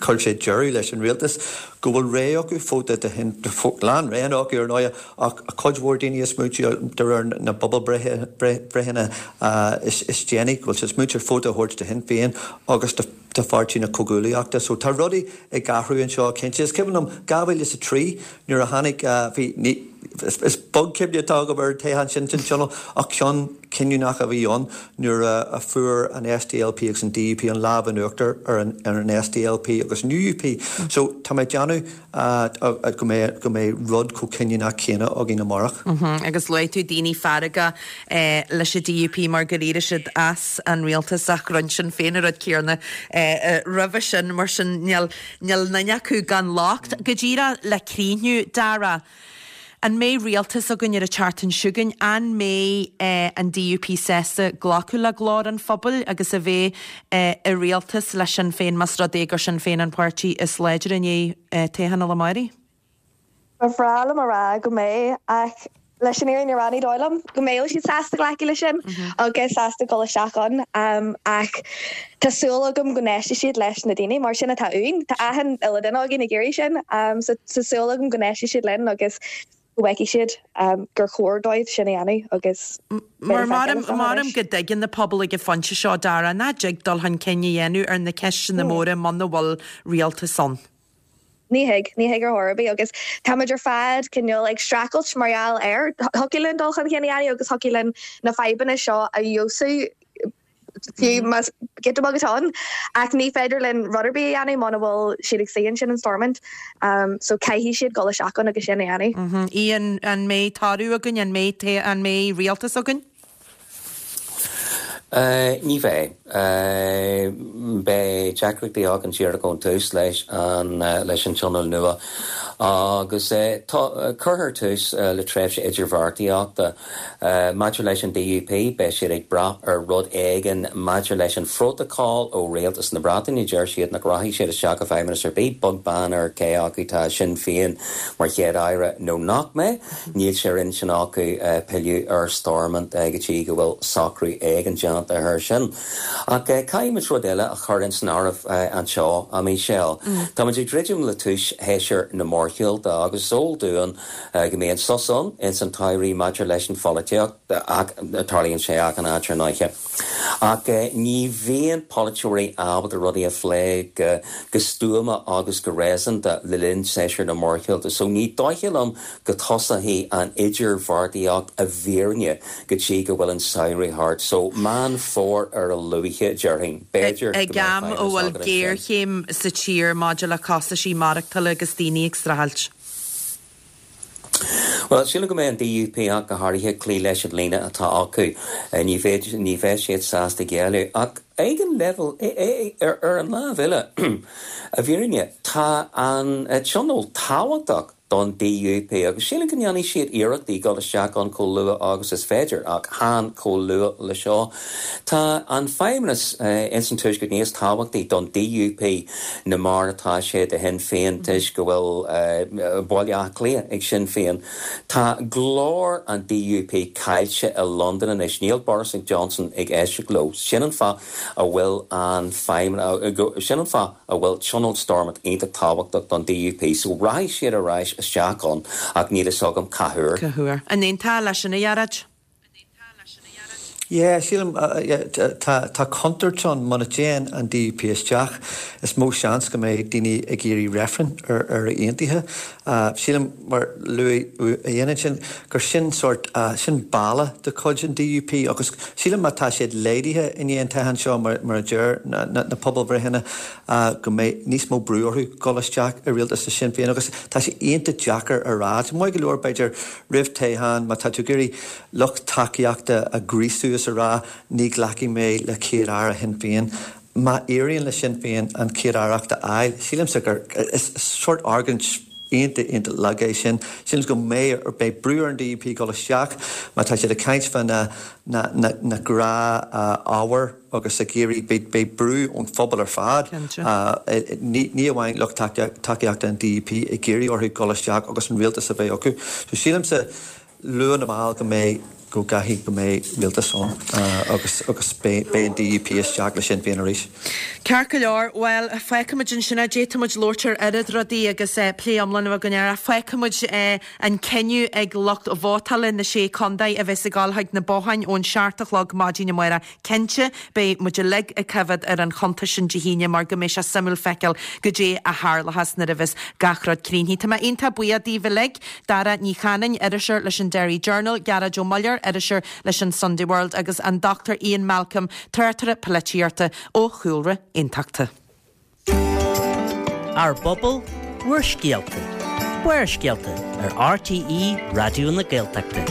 chuir sé deireadh leis an rialtas, go bhfuil rogha acu, vóta do Shinn, lán roghanna acu ar ndóighe, ach cuid mhór daoine ag smaointiú de réir na bpobalbhreitheanna is déanaí, go bhfuil siad ag smaointiú ar vóta a thabhairt do Shinn Féin agus do Pháirtí na Comhghuaillíochta. So tá rudaí ag athrú anseo cinnte. Is cuimhin liom 2003 nuair a tháinig, bhí, ní, is beag cuimhne atá agam ar an toghchán sin san Tionól ach ceann cinniúnach a bhí ann nuair a fuair an SDLP agus an DUP an lámh in uachtar ar an SDLP agus an UUP. So tá mé ag déanamh go mbeidh go mbeidh rud chomh cinniúnach céanna againn amárach. Agus luaigh tú daoine feargach leis an DUP mar gur éirigh siad as an rialtas ach rinne Sinn Féin an rud céanna roimhe sin mar sin níl níl duine acu gan locht. Go díreach le críochnú, Dara, an mbeidh rialtas againn ar an tseachtain seo chugainn? An mbeidh an DUP sásta glacadh le glór an phobail agus a bheith i rialtas le Sinn Féin más rud é gur Sinn Féin an páirtí is láidre i ndiaidh toghchán an lá amáireach? Ba bhreá liom a rá go mbeidh ach leis an fhírinne a rá ní dóigh liom go mbeadh siad sásta glacadh leis sin agus sásta dul isteach ann ach tá súil agam go n-éistfidh siad leis na daoine mar sin atá uainn. Tá achan uile duine againn ag iarraidh sin so tá súil agam go n-éistfidh siad linn agus go bhfeicfidh siad gur chóir dóibh sin a dhéanamh agus Mar maram go dtuigeann an pobal ag an phointe seo, Dara, nach dtig dul chun cinn a dhéanamh ar na ceisteanna móra muna bhfuil rialtas ann. Ní thig, ní thig ar chor ar bith agus táimid ar fad cineál ag streachailt mar gheall air. Thiocfadh linn dul chun cinn a dhéanamh agus thiocfadh linn na fadhbanna seo a fheabhsú fiú más giota beag atá ann ach ní féidir linn rud ar bith a dhéanamh muna bhfuil siad ag suí ansin in Stormont. So caithfidh siad dul isteach ann agus sin a dhéanamh. Ian, an mbeidh toradh againn, an mbeidh, an mbeidh rialtas againn? Ní bheidh. Beidh deacrachtaí againn díreach ón tús leis an leis an Tionól nua agus tá cuirfear tús le tréimhse idirbheartaíochta. Maidir leis an DUP, beidh siad ag brath ar rud éigin maidir leis an phrótacal ó Rialtas na Breataine. Deir siad nach rachaidh siad isteach i bhfeidhmeannas ar bith, beag beann ar cé acu tá Sinn Féin mar Chéad-Aire nó nach mbeidh. Níl sé ar intinn acu pilleadh ar Stormont go dtí go bhfuil socrú éigin déanta air sin. Ach caithfimid rud eile a chur ins an áireamh anseo, a Michelle. Táimid ag druidim le tús shéasúr na mórshiúlta agus is eol dúinn go mbíonn sos ann ins an tsamhraidh maidir leis an pholaitíocht, ach tarlaíonn sé achan áit ar ndóiche. Ach ní bhíonn polaiteoirí ábalta rudaí a phlé go stuama agus go réasúnta le linn séasúr na mórshiúlta so ní dóiche liom go dtosóidh an idirbheartaíocht i bhfírinne go dtí go bhfuil an samhradh thart. So Meán Fómhair ar a luaithe, déarfainn. B'fhéidir go mbeidh Ag am a feidhmeannas bhfuil againn ansin. géarchéim sa tír maidir le costaisí maireachtála agus daoine ag streachailt. Bhuel, sílim go mbeidh an DUP ach go háirithe ag cloí leis an líne atá acu. Ní bheidh, ní bheidh siad sásta géilleadh. Ach ag an leibhéal, ar an lámh eile, i bhfírinne, tá an tionól tábhachtach don DUP agus sílim go ndéanfaidh siad iarrachtaí dul isteach ann chomh luath agus is féidir, ach chan chomh luath le seo. Tá an feidhmeannas ins an Tuaisceart níos tábhachtaí don DUP ná mar atá sé do Shinn Féin toisc go bhfuil Baile Átha Cliath ag Sinn Féin. Tá glór an DUP caillte i Londain anois. Níl Boris Johnson ag éisteacht leo. Sin an fáth a bhfuil an feidhmeannas, sin an fáth a bhfuil Tionól Stormont iontach tábhachtach don DUP. So rachaidh siad ar ais isteach ann ach níl fhios agam cá huair. Cá huair. An aontófá leis sin, a Ghearóid? Yeah, sílim, tá, tá contúirt ann muna dtéann an DUP isteach, is mó seans go mbeidh daoine ag iarraidh reifreann ar Éire Aontaithe. Sílim, mar luaigh Ian ansin, gur sin sórt, sin balla de chuid an DUP agus sílim má tá siad laghdaithe i ndiaidh an toghcháin seo, mar, mar a deir na, na, na pobalbhreitheanna, go mbeidh níos mó brú orthu dul isteach i rialtas le Sinn Féin agus tá sé iontach deacair a rá. Tá maith go leor, b'fhéidir, Roimh toghchán, má tá tú ag iarraidh lucht tacaíochta a ghríosú is a rá ní ghlacfaidh mé le Céad-Aire Shinn Féin. Má éiríonn le Sinn Féin an Chéad-Aireacht a fháil, sílimse gur is sórt argóint iontach, iontach lag é sin. Sílim go mbeidh, beidh brú ar an DUP dul isteach má tá siad ag caint fá na, na, na, na gnáth-ábhair agus ag iarraidh, beidh, beidh brú ón phobal ar fad, ní, ní amháin lucht tacaíochta an DUP ag iarraidh orthu dul isteach agus an rialtas a bheith acu. So sílimse, luath nó mall go mbeidh, go gcaithfidh go mbeidh rialtas ann agus, agus beidh, beidh an DUP isteach le Sinn Féin arís. Ceart go leor, bhuel, fágfaimid ansin é, d'fhéadfadh muid labhairt ar oiread rudaí agus plé iomlán a bheith againn air ach fágfaimid an cinneadh ag lucht vótála na Sé Contae a bheas ag dul chuig na botháin ón seacht a chlog maidin amárach. Cinnte, beidh muid uilig ag coimhéad ar an chuntas sin Dé hAoine mar go mbeidh sé suimiúil feiceáil goidé a tharlóchas nuair a bheas gach rud críochnaithe. Tá mé iontach buíoch daoibh uilig, Dara Ní Chanainn, iriseoir leis an Derry Journal, Gearóid Ó Muilleoir, iriseoir leis an Sunday World agus an Dr Ian Malcolm, tráchtaire polaitíochta ó chúlra aontachtach. Ár bpobal, bhur scéalta. Barrscéalta ar RTÉ Raidió na Gaeltachta.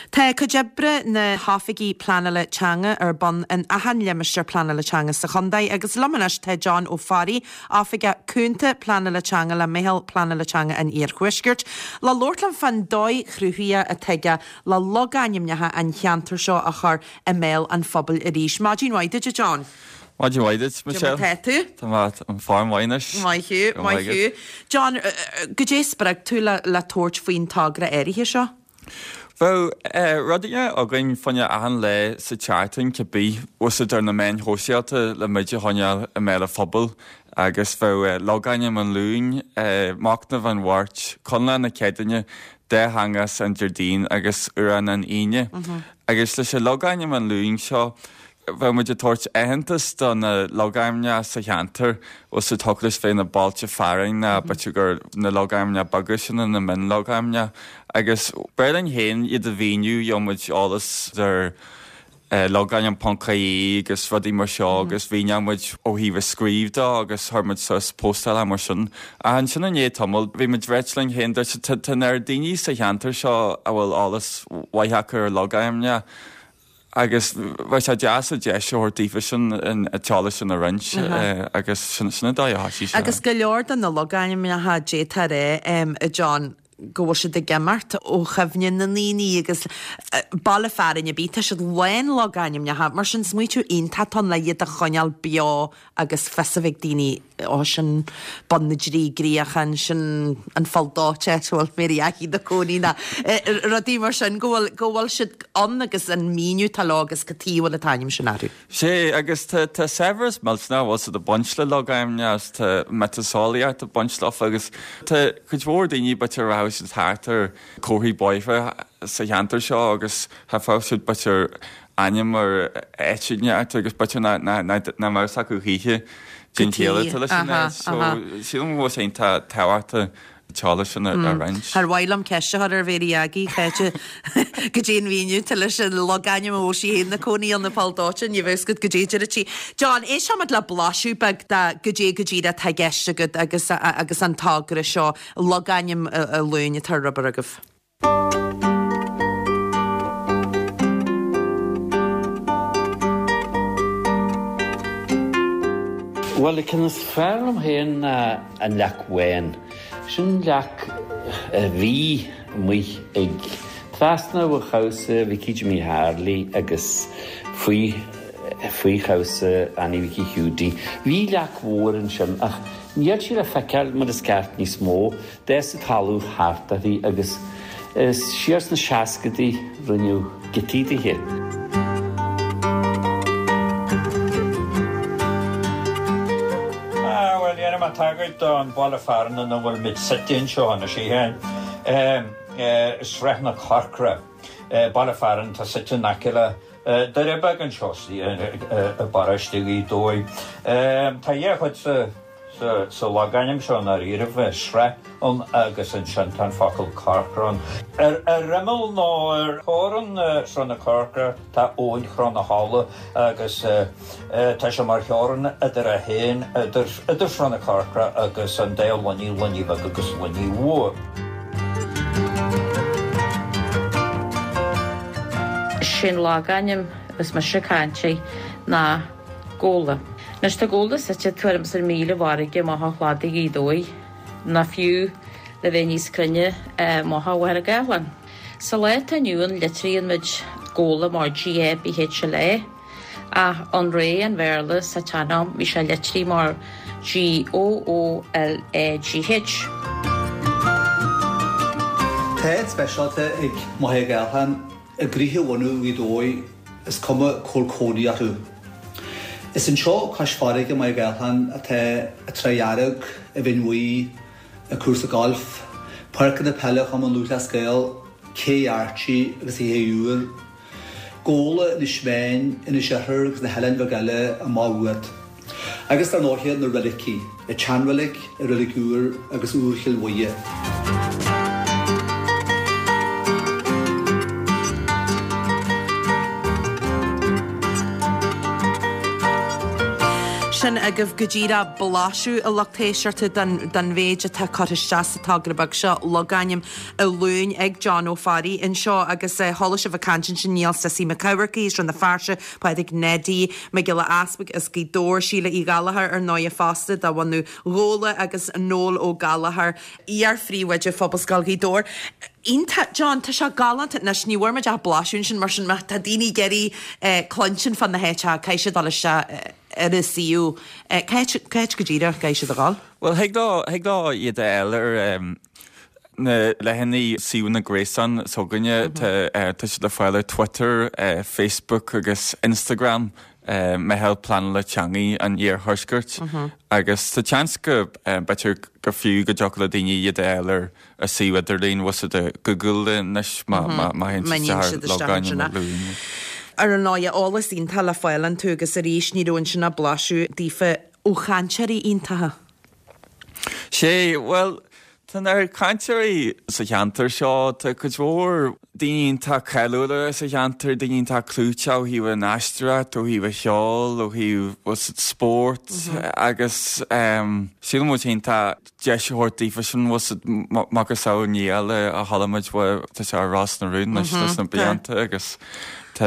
Tá cuid oibre na hOifigí Pleanála Teanga ar bun in achan limistéar pleanála teanga sa chontae agus liom anois tá John Ó Fearraigh, Oifigeach Cúnta Pleanála Teanga le Meitheal Pleanála Teanga an Iarthuaiscirt, le labhairt liom fán dóigh chruthaithe atá aige le logainmneacha an cheantair seo a chur i mbéal an phobail arís. Maidin mhaith duit, a John. Maidin mhaith duit, Michelle. Cad é mar tá tú? Tá mé in form mhaith anois. Maith thú, maith thú. John, goidé spreag tú le tabhairt faoin togra áirithe seo? Bheadh rud éigin againn fá choinne achan lá sa tseachtain cibé, úsáid ar na meáin shóisialta le muid a choinneáil i mbéal an phobail agus bheadh logainm an Luain, Machnamh an Mháirt, Conlán na Céadaoine, Dátheangachas an Déardaoin agus Amhrán an Aoine. Agus leis an logainm an Luain seo, Bheadh muid ag tabhairt aitheantas do na logainmneacha sa cheantar, bhfuil a fhios agat leis bheith na bailte fearainn ná b'fhéidir gur na logainmneacha beaga sin na mionlogainmneacha. Agus b'fhearr linn féin iad a mhíniú, gheobhadh muid eolas ar logainm ponc ie agus rudaí mar seo agus mhíneodh muid ó thaobh a scríobh de agus chuir muid suas postálacha mar sin. Ach ansin i ndiaidh tamaill bhí muid ag ráit linn féin, dúirt tá an oiread daoine sa cheantar seo a bhfuil eolas mhaith acu ar logainmneacha, Agus bheadh sé deas an deis a thabhairt daofa sin an t-eolas sin a roinnt agus sin an dóigh a thoisigh sé. Agus go leor de na logainmneacha d'fhéadfá a rá, a John, go bhfuil siad ag imeacht ó chuimhne na ndaoine agus baile fearainn ar bith, tá siad lán logainmneacha, mar sin smaoitiú iontach atá ann le iad a choinneáil beo agus fios a bheith ag daoine, ó sin Bun na dTrí gCríochán, sin an Pholl Dóite, áit a bhfuil Mary Aggie ina cónaí nó rudaí mar sin, go bhfuil, go bhfuil siad ann agus an míniú atá leo agus cad chuige a bhfuil an t-ainm sin orthu. Sea, agus tá, tá saibhreas millteanach bhfuil a fhios agat ag baint le logainmneacha agus tá miotaseolaíocht ag baint leofa agus tá cuid mhór daoine b'fhéidir rachadh siad thart ar comharthaí bóithre sa cheantar seo agus tchífeadh siad b'fhéidir ainm ar áit inteacht agus b'fhéidir nach mbeadh a fhios acu choíche cén chiall atá leis an áit. So sílim go bhfuil sé iontach tábhachtach an t-eolas sin a roinnt. Ar mhaith liom ceist a chur ar Mhéirí Aggie, Cáit, goidé an mhíniú atá leis an logainm a bhfuil sí féin ina cónaí ann, an Poll Dóite, ní bheadh a fhios agat goidé a deir sí. John, éistfimid le blaiseadh beag de goidé go díreach atá i gceist agat agus agus an togra seo, logainm an Luain atá ar obair agaibh. Bhuel, an ceann is fearr liom féin ná an Leac Bhán. Sin leac a bhí amuigh ag trasna ó chabhsa Mhicí Jimí Tharlaigh agus faoi faoi chabhsa Annie Mhicí Hiúdaí. Bhí leac mhór ansin ach níl sí le feiceáil mar is ceart níos mó. D'fhás an talamh thart uirthi agus siar sna seascadaí rinneadh giotaí dithe. Ah, bhuel, dhéanfaidh mé tagairt don bhaile fearainn ina bhfuil muid suite anseo anois, Srath na Corcra, baile fearainn atá suite in aice le Doire Beag anseo i bparóiste Ghaoth Dobhair. Tá dhá chuid sa. Sa logainm seo i ndáiríribh, bheadh srath ann agus ansin tá an focal corcra ann. Ar imeall nó ar theorainn Srath na Corcra tá Abhainn Chruth na hOla agus tá sé mar theorainn idir é féin, idir Srath na Corcra agus an dá Luinnigh, Luinnigh Bheag agus Luinnigh Mhór. Sé'n logainm is mise ag caint air. Ná Gabhla. Anois tá Gabhla suite tuairim is ar mhíle i bhfarraige amach ó chladaigh Ghaoth Dobhair, nó fiú le bheith níos cruinne, amach ó Mhachaire Gathlán. Sa lá atá inniu ann litríonn muid Gabhla mar G-A-B-H-L-A, ach an ré an Bhéarla sa tsean-am bhí sé litrithe mar G-O-O-L-A-G-H. Tá áit speisialta ag Machaire Gathlán i gcroíthe bhunú Ghaoth Dobhair, is cuma cá bhfuil cónaí orthu. Is anseo cois farraige i Machaire Gathlán atá an Trá Dhearg, an Bhinn Bhuí, an cúrsa gailf, páirceanna peile Chumann Lúthchleas Gael, Cé Archie agus an Ché Úr, Gabhla, Inis Meáin, Inis Oirthir agus na hoileáin bheaga eile amach uait. Agus dar ndóighe na roilicí, an tSeanreilig, an Reilig Úr agus Iúr Chill Mhuire. Sin agaibh go díreach blaiseadh a lucht éisteachta den mhéid atá curtha isteach sa togra beag seo, Logainm an Luain ag John Ó Fearraigh anseo agus chuala sibh ag caint ansin Niall Sissy Mac Eamharcaigh as Rann na Feirste, Pádraig Neidí Mac Giolla Easpaig as Gaoth Dobhair, Síle Uí Ghallchóir ar ndóighe fosta de bhunadh Ghabhla agus Noel Ó Gallchóir, iar-phríomhoide Phobalscoil Ghaoth Dobhair. Iontach, John, tá sé galánta. Anois, ní bhfuair muid ach blaiseadh ansin, mar sin má tá daoine ag iarraidh cluinstin fá na háiteacha, caithfidh siad dul isteach ar an suíomh. Cá háit go díreach a gcaithfidh siad a dhul? Bhuel, thig leo, thig leo iad a fháil ar na leathanaigh suíomhanna gréasáin s'againne, tá siad le fáil ar Twitter, Facebook agus Instagram, Meitheal Pleanála Teangaí an Iarthuaiscirt, agus tá seans go b'fhéidir gur fiú go dtiocfadh le daoine iad a fháil ar a suíomh idirlín, bhfuil 's agat Google anois má théann siad isteach ar logainm an Luain. Ar ndóighe, eolas iontach le fáil iontu agus arís ní raibh ansin ach blaiseadh daofa ó chainteoirí iontacha. Sé, bhuel, tá na cainteoirí sa cheantar seo, tá cuid mhór daoine iontach cáiliúla sa cheantar, daoine iontach clúiteach ó thaobh an aisteoireacht, ó thaobh an cheoil, ó thaobh bhfuil 's agat spórt agus sílim muid iontach deis a thabhairt daofa sin, bhfuil 's agat macasamhail Niall a chuala muid uaidh, tá sé ar Ros na Rún anois leis na blianta agus tá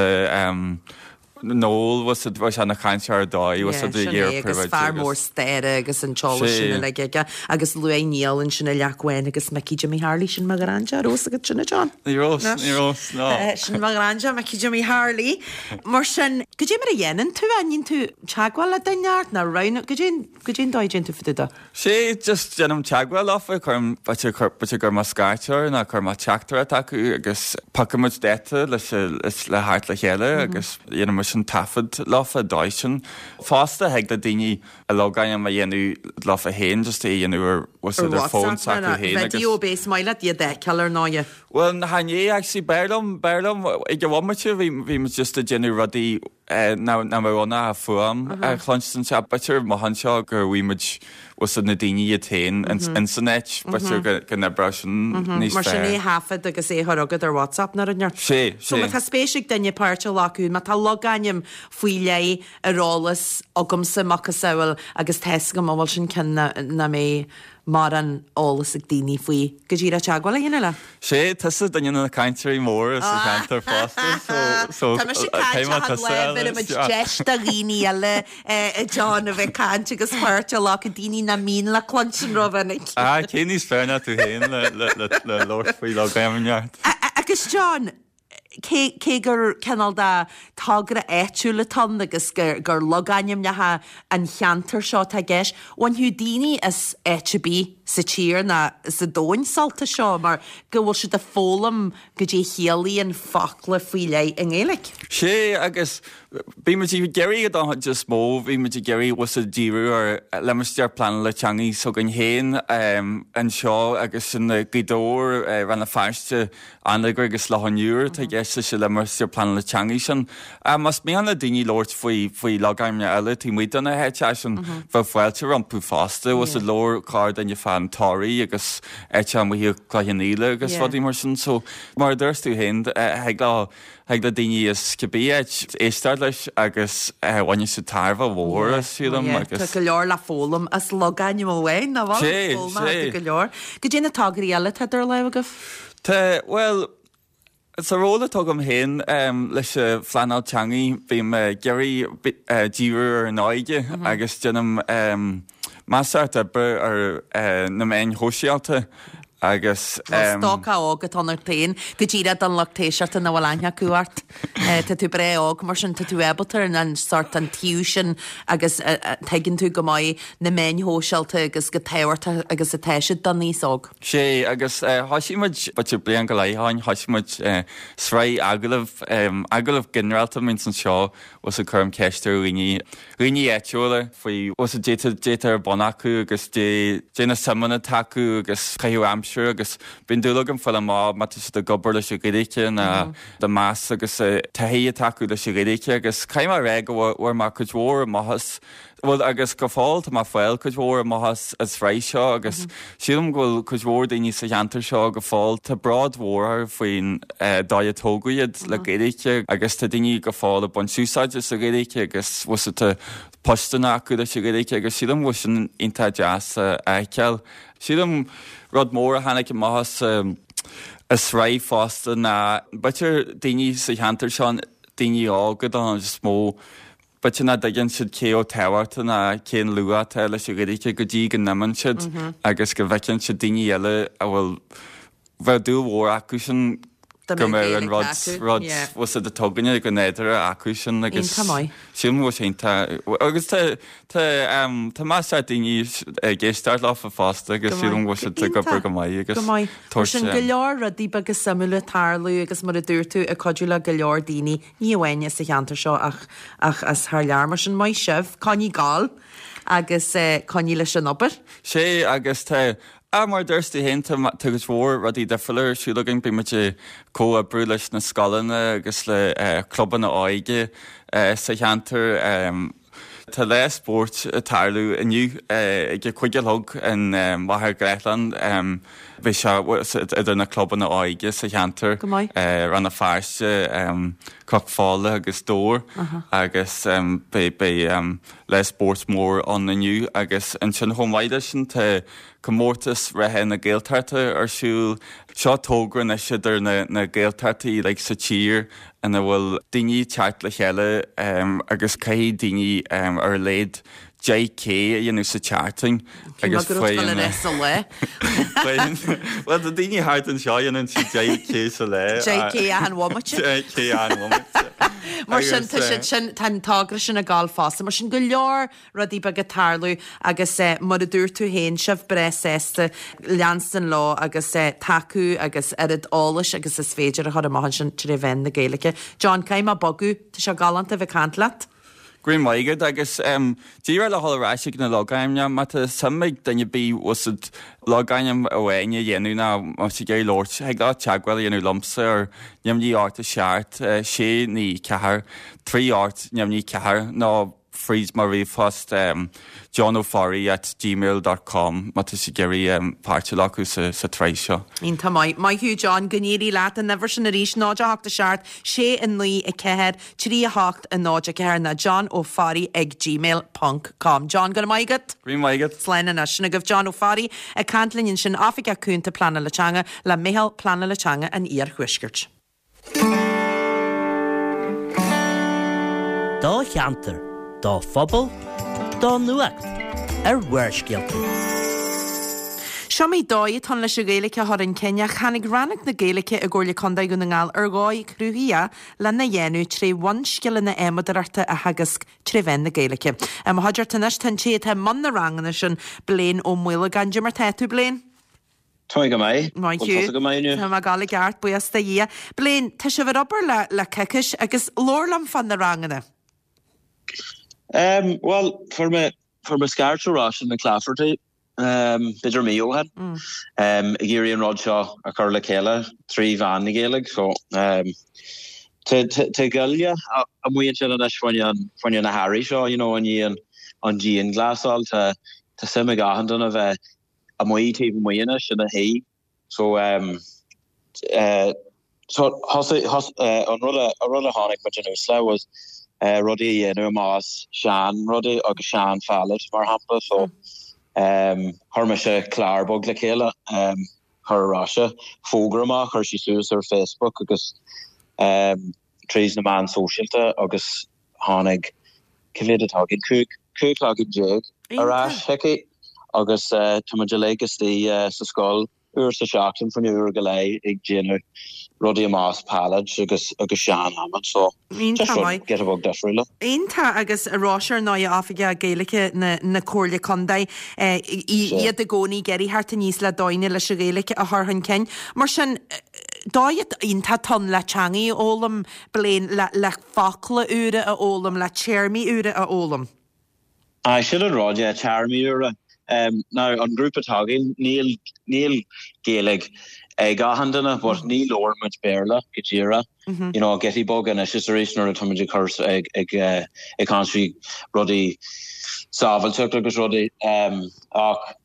Noel, bhfuil 's agat, bhí sé ina chainteoir ar dóigh, bhfuil 's agat, Sin é, agus fear mór staire agus an t-eolas sin uilig aige. Agus luaigh Niall ansin an Leac Bhán agus Micí Jimmy Harley, sin mo ghraindea, raibh 'fhios agat sin, a John? Ní raibh, ní raibh, ná. Sin mo ghraindea, Micí Jimmy Harley. Mar sin, goidé mar a dhéanann tú é? An ndéanann tú teagmháil le duine ort nó roghnú, goidé, goidé an dóigh a dtéann tú fá dtaobh de? Sé, just déanaim teagmháil leofa, cuirim, b'fhéidir, b'fhéidir go gcuir mé scairt orthu nó cuir mé teachtaireacht acu agus piocann muid dáta leis, le theacht le chéile agus déanann muid an taifead leofa dóigh sin. Fosta thig le daoine a logainm a dhéanamh leofa féin, just é a dhéanamh ar, bhfuil 's agat, ar fón s'acu féin agus. Video base maith leat iad a fheiceáil ar ndóighe. Bhuel, chan é actually, b'fhearr liom, b'fhearr liom, ag an bhomaite bhí, bhí muid just ag déanamh rudaí nach mbeadh ann ach fuaim a chluinstin. Sea, b'fhéidir amach anseo go bhfaighidh muid bhfuil 's agat na daoine iad féin ins an áit, b'fhéidir go n-oibreodh sin níos fearr. Mar sin é a thaifead agus é a chur chugat ar WhatsApp nó rud inteacht. Sea, So má sea. tá spéis ag duine páirt a ghlacadh, má tá logainm faoi leith ar eolas agamsa, macasamhail, agus tá 'fhios agam an bhfuil sin ceann nach mbeidh mórán eolas ag daoine faoi, go díreach teagmháil a dhéanamh leat. Sé, tusa duine de na cainteoirí móra sa cheantar fosta, so, so, Tá mise ag caint achan lá, bheireann muid deis do dhaoine eile a John a bheith ag caint agus páirt a ghlacadh, daoine nach mbíonn le cluinstin rómhinic. Ah, cé níos fearr ná tú féin le, le, le, le labhairt faoi logainmneacha. Agus John, cé, cé gur cineál de togra áitiúil atá ann agus gur, gur logainmneacha an cheantair seo atá i gceist, bhainfeadh daoine as áit ar bith sa tír ná sa domhan sult as seo mar go bhfuil siad ag foghlaim goidé a chiallaíonn focla faoi leith i nGaeilge. Sé, agus bhí muid ag iarraidh don chuid is mó, bhí muid ag iarraidh bhfuil 's agat díriú ar limistéar pleanála teangaí s'againn féin anseo agus sin Gaoth Dobhair, Rann na Feirste, Anagaire agus Loch an Iúir atá i gceist leis an limistéar pleanála teangaí sin. Más mian le daoine labhairt faoi faoi logainmneacha eile taobh amuigh de na háiteacha sin, bheadh fáilte rompu fosta. Bhfuil 's agat labhair corrdhuine fán Toraigh agus áiteacha amuigh i Cloich Cheann Fhaola agus rudaí mar sin. So, mar a dúirt tú féin, thig leo, thig le daoine as cibé áit éisteacht leis agus bhainfidh siad tairbhe mhór as, sílim, agus. Tá go leor le foghlaim as logainm amháin, nach bhfuil? Sé, sé. Go leor. Goidé na tograí eile atá idir lámha agaibh? Tá, bhuel, Sa ról atá agam féin leis an phleanáil teangaí, bím ag iarraidh díriú ar an óige agus déanaim measartha oibre ar na meáin shóisialta agus. Bhuel, stócach óg atá ionat féin, go díreach don lucht éisteachta nach bhfuil aithne acu ort. Tá tú breá óg, mar sin tá tú ábalta ar an sórt an taobh sin agus tuigeann tú go maith na meáin shóisialta agus chomh tábhachtach agus atá siad don aos óg. Sea, agus thoisigh muid, b'fhéidir bliain go leith ó shin, thoisigh muid sraith agallamh, agallamh ginearálta a bhíonns anseo, bhfuil 's a'd cuirim ceist ar dhaoine, dhaoine áitiúla faoi, bhfuil 's a'd caidé, caidé atá ar bun acu agus caidé, caidé na suimeanna atá acu agus caitheamh aimsire agus bíonn dúil agam fáil amach má tá siad ag obair leis an Ghaeilge nó de meas agus taithí atá acu leis an Ghaeilge agus caithfidh mé a rá go bhfuair mé cuid mhór amach as Bhuel, agus go fóill tá mé ag fáil cuid mhór amach as an sraith seo agus sílim go bhfuil cuid mhór daoine sa cheantar seo go fóill, tá bród mhór orthu faoin dóigh a tógadh iad le Gaeilge agus tá daoine go fóill ag baint úsáide as an Ghaeilge agus bhfuil 's a'd tá postanna acu leis an Ghaeilge agus sílim go bhfuil sin iontach deas a fheiceáil. Sílim rud mór a tháinig amach as an sraith fosta ná b'fhéidir daoine sa cheantar seo, daoine óga don chuid is mó, B'fhéidir nach dtuigeann siad cé chomh tábhachtach ná cén luach atá leis an Ghaeilge go dtí go n-imíonn siad agus go bhfeiceann siad daoine eile a bhfuil, bheadh dúil mhór acu sin go mbeadh an rud, rud, bhfuil 's a'd atá againne go nádúrtha acu sin agus sílim go bhfuil sé iontach agus tá, tá, tá measartha daoine ag éisteacht leofa fosta agus sílim go bhfuil siad ag obair go maith agus Go maith. Mar sin go leor rudaí beaga suimiúla ag tarlú agus mar a dúirt tú ag cuidiú le go leor daoine Ní amháin sa cheantar seo ach ach as thar lear. Mar sin, maith sibh, coinnigh ag gabháil agus coinnigh leis an obair. Sea, agus tá, ah, mar a dúirt tú féin, tá tá cuid mhór rudaí difriúla ar siúl againn. Bíonn muid ag comhoibriú leis na scoileanna agus le clubanna óige sa cheantar. Tá lá spóirt ag tarlú inniu ag a 5 a chlog in Machaire Gathlán. Beidh sé idir na clubanna óige sa cheantar, Rann na Feirste, Cnoc Fola agus Dobhar agus beidh lá spóirt mór ann inniu agus ansin chomh maith leis sin tá Comórtas Reatha na Gaeltachta ar siúl. Seo togra anois idir na Gaeltachtaí uilig sa tír ina bhfuil daoine ag teacht le chéile agus caithfidh daoine ar a laghad 10K a dhéanamh sa tseachtain agus faigheann Bhuel tá daoine thart anseo a dhéanann siad 10K sa lá. 10K achan bhomaite. 10K achan bhomaite. Mar sin tá siad sin, tá an togra sin ag gabháil fosta. Mar sin go leor rudaí beaga ag tarlú agus mar a dúirt tú féin, sibh breá sásta leanstan leo agus tacú agus oiread eolais agus is féidir a chur amach ansin tré mheán na Gaeilge. John, caithfidh mé bogadh, tá sé galánta a bheith ag caint leat. Go raibh maith agat agus díreach le dhul ar ais ag na logainmneacha, má tá suim ag duine ar bith bhfuil 's a'd logainm amháin a dhéanamh nó má tá siad ag iarraidh labhairt, thig leo teagmháil a dhéanamh liomsa ar neamhní 8 7 6 9 4 3 8 neamhní 4 nó fríd mo ríomhphost johnofarraigh at gmail dot com má tá sibh ag iarraidh páirt a ghlacadh sa tsraith seo. Iontach maith. Maith thú John, go n-éirí leat. An uimhir sin arís, 0 8 7 6 9 4 3 8 0 4 nó John Ó Fearraigh ag gmail ponc com. John, go raibh maith agat. Go raibh maith agat. Slán anois. Sin agaibh John Ó Fearraigh ag caint linn ansin, Oifigeach Cúnta Pleanála Teanga le Meitheal Pleanála Teanga an Iarthuaiscirt. Do cheantar, do phobal, do nuacht ar Bharrscéalta. Seo iomaí dóigh atá ann leis an Ghaeilge a chur chun cinn ach tháinig Rannóg na Gaeilge i gComhairle Contae Dhún na nGall ar dhóigh chruthaíoch lena dhéanamh tré bhunscileanna adhmadóireachta a theagasc tré mheán na Gaeilge. I mo chuideachta anois tá an té atá i mbun na ranganna sin, Blaine Ó Maolagáin. Cad é mar tá tú, Blaine? Tá mé go maith. Maith thú. Bhfuil tusa go maith inniu? Tá mé ag gabháil i gceart, buíochas do Dhia. Blaine, tá sibh ag obair le le coicís agus labhair liom fá na ranganna. Em, bhuel, fuair mé, fuair mé scairt ó Róisín McClafferty, em, b'fhéidir mí ó shin, em, ag iarraidh an rud seo a chur le chéile trí mheán na Gaeilge. So, em, tá, tá, tá goile amuigh ansin anois fá choinne an, fá choinne na hearraí seo, you know, i ndiaidh an, an dianghlasáil. Tá, tá suim ag achan duine bheith amuigh taobh amuigh anois ina shuí. So um eh so thosaigh thos eh an rud a an rud a tháinig muid anuas le was eh rudaí a dhéanamh amach as sean rudaí agus sean phallet mar shampla so um chuir mise clár beag le chéile um. chur ar ais, fógra amach, chuir sí suas ar Facebook agus tríd na meáin sóisialta agus tháinig, cé mhéad atá againn, 15 cloigeann ar ais chuici agus tá muid uilig istigh sa scoil uair sa seachtain faoin uair go leith ag déanamh rudaí amach as pallets agus agus sean adhmad so just rud giota beag difriúla. Iontach agus Róise ar ndóigh Oifigeach Gaeilge na na Comhairle Contae iad i gcónaí ag iarraidh theacht aníos le dóigheanna leis an Ghaeilge a chur chun cinn. Mar sin dóigh iontach ann le teangaidh a fhoghlaim Blaine le le focla úra a fhoghlaim le téarmaí úra a fhoghlaim. Aye, sin an rud, yeah, téarmaí úra. Now, an grúpa atá againn, níl, níl Gaeilge ag achan duine, but ní labhrann muid Béarla go díreach. You know, giotaí beag anois is arís nuair atá muid ag cur, ag, ag, ag caint faoi rudaí sábháilteacht agus rudaí, ach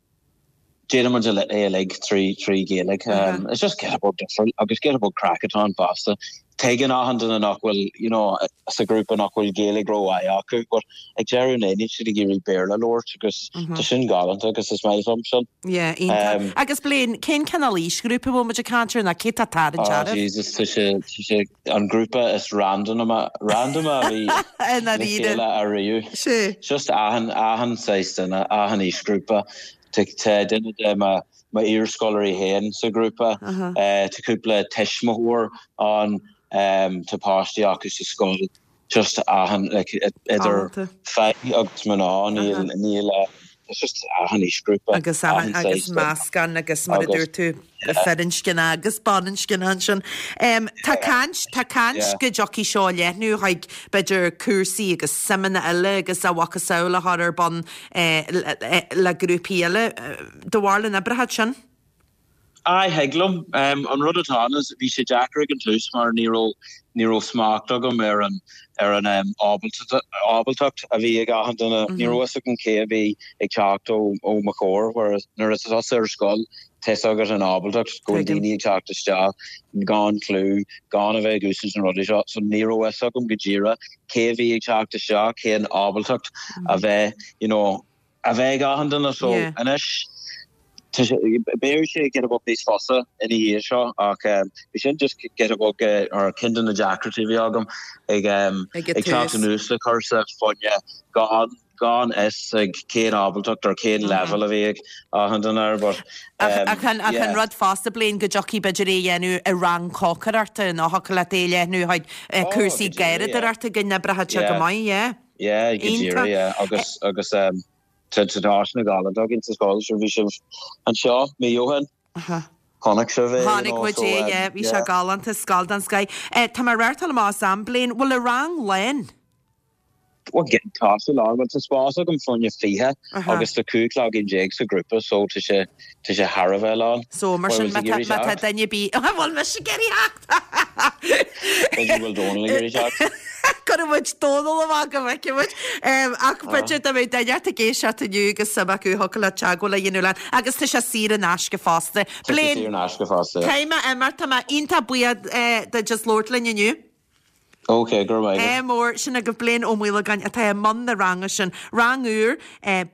déanann muid é uilig trí trí Ghaeilge. It's just giota beag difriúil agus giota beag craic atá ann fosta. Tuigeann achan duine nach bhfuil, you know, sa ghrúpa nach bhfuil Gaeilge rómhaith acu but ag deireadh an lae níl siad ag iarraidh Béarla a labhairt agus tá sin galánta agus is maith liom sin. Yeah, iontach. Agus Blaine, cén cineál aoisghrúpa a bhfuil muid ag caint air nó cé atá tarraingt Oh oraibh? Jesus, tá sé, tá sé an grúpa is random random a bhí le chéile ariamh. Just achan achan saghas duine, achan aoisghrúpa. Tá duine de mo iarscoláirí féin sa ghrúpa, tá cúpla tuismitheoir ann, tá páistí acu sa scoil, just achan like idir fir agus mná, níl níl it's just achan aoisghrúpa, Agus achan agus meascán agus mar a dúirt tú firinscne agus baininscne ansin. Tá caint, tá caint go dtiocfaidh seo a leathnú chuig b'fhéidir cúrsaí agus suimeanna eile agus a mhacasamhail a chur ar bun le grúpaí eile. Do bharúil an oibreoidh sin? Aye, thig liom. An rud atá ann is bhí sé deacair ag an tús mar ní raibh, ní raibh smacht agam ar an, ar an ábaltacht a bhí ag achan duine. Ní raibh fhios agam cé a bhí ag teacht ó, ó mo chomhair, whereas nuair atá tusa ar scoil, tá fhios agat an ábaltacht go bhfuil daoine ag teacht isteach gan clue, gan a bheith ag úsáid na rudaí seo. So ní raibh fhios agam go díreach cé a bhí ag teacht isteach, cén ábaltacht a bheith, you know, a bheith ag achan duine so anois beidh sé giota beag níos fusa ina dhiaidh seo ach bhí sin just giota beag ar ceann de na deacrachtaí a bhí agam ag ag teacht anuas le cúrsa fá choinne gan gan fhios ag cén ábaltacht or cén level a bhí ag achan duine air but Ach an rud fosta Blaine go dtiocfaidh b'fhéidir é a dhéanamh i rang cócaireachta nó thiocfadh leat é a leathnú chuig cúrsaí garraíodóireachta go n-oibreoidh sé go maith, yeah. Yeah, go díreach, yeah. Agus, agus um, tá tá áiseanna galánta againn sa scoil, sure bhí sibh anseo mí ó shin. Chonaic sibh é, you Chonaic know, muid so, é, um, yeah, bhí sé yeah. galánta, scoil den scoith. Eh, tá mé ag reáchtáil amach as am, Blaine, bhfuil an rang lán? Well, tá sé lán, bhuel tá spás agam fá choinne 20 agus tá 15 cloigeann sa ghrúpa so tá sé, tá sé thar a bheith lán. So, mar sin, má tá, má tá duine ar bith, bhfuil mise ag iarraidh theacht? B'fhéidir go bhfuil Dónal ag iarraidh teacht. Cuirfidh muid Dónal amach go bhfeicfidh muid. Ach b'fhéidir dá mbeadh duine ort ag éisteacht inniu agus suim acu thiocfadh leat teagmháil a dhéanamh linn. Agus tá sé saor in aisce fosta. Tá sé saor in aisce fosta, yeah. Caithfidh mé imeacht, tá mé iontach buíoch duit as labhairt linn inniu. Ok, go raibh maith agat. Ádh mór, sin agaibh Blaine Ó Maolagáin atá i mbun na ranga sin. Rang úr,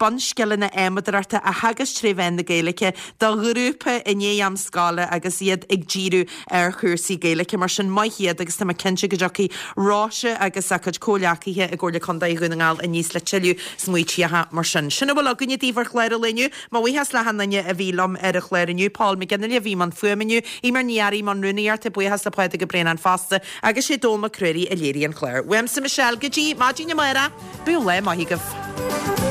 bunscileanna adhmadóireachta a theagasc tré mheán na Gaeilge do ghrúpa i ndiaidh am scoile agus iad ag díriú ar chúrsaí Gaeilge. Mar sin, maith iad agus tá mé cinnte go dtiocfaidh Róise agus a cuid comhghleacaithe i gComhairle Contae Dhún na nGall aníos le tuilleadh smaoitíocha mar sin. Sin a bhfuil againne daoibh ar chlár an lae inniu. Mo bhuíochas le achan duine a bhí liom ar an chlár inniu, Paul McGinley a bhí i mbun fuaime inniu, Eimear Ní Fhearraigh i mbun rúnaíochta, buíochas le Pádraig Ó Braonáin fosta, agus sé Dónall Mac Ruairí a léirigh an clár. Uaimse Michelle go dtí maidin amárach, bíodh lá maith agaibh.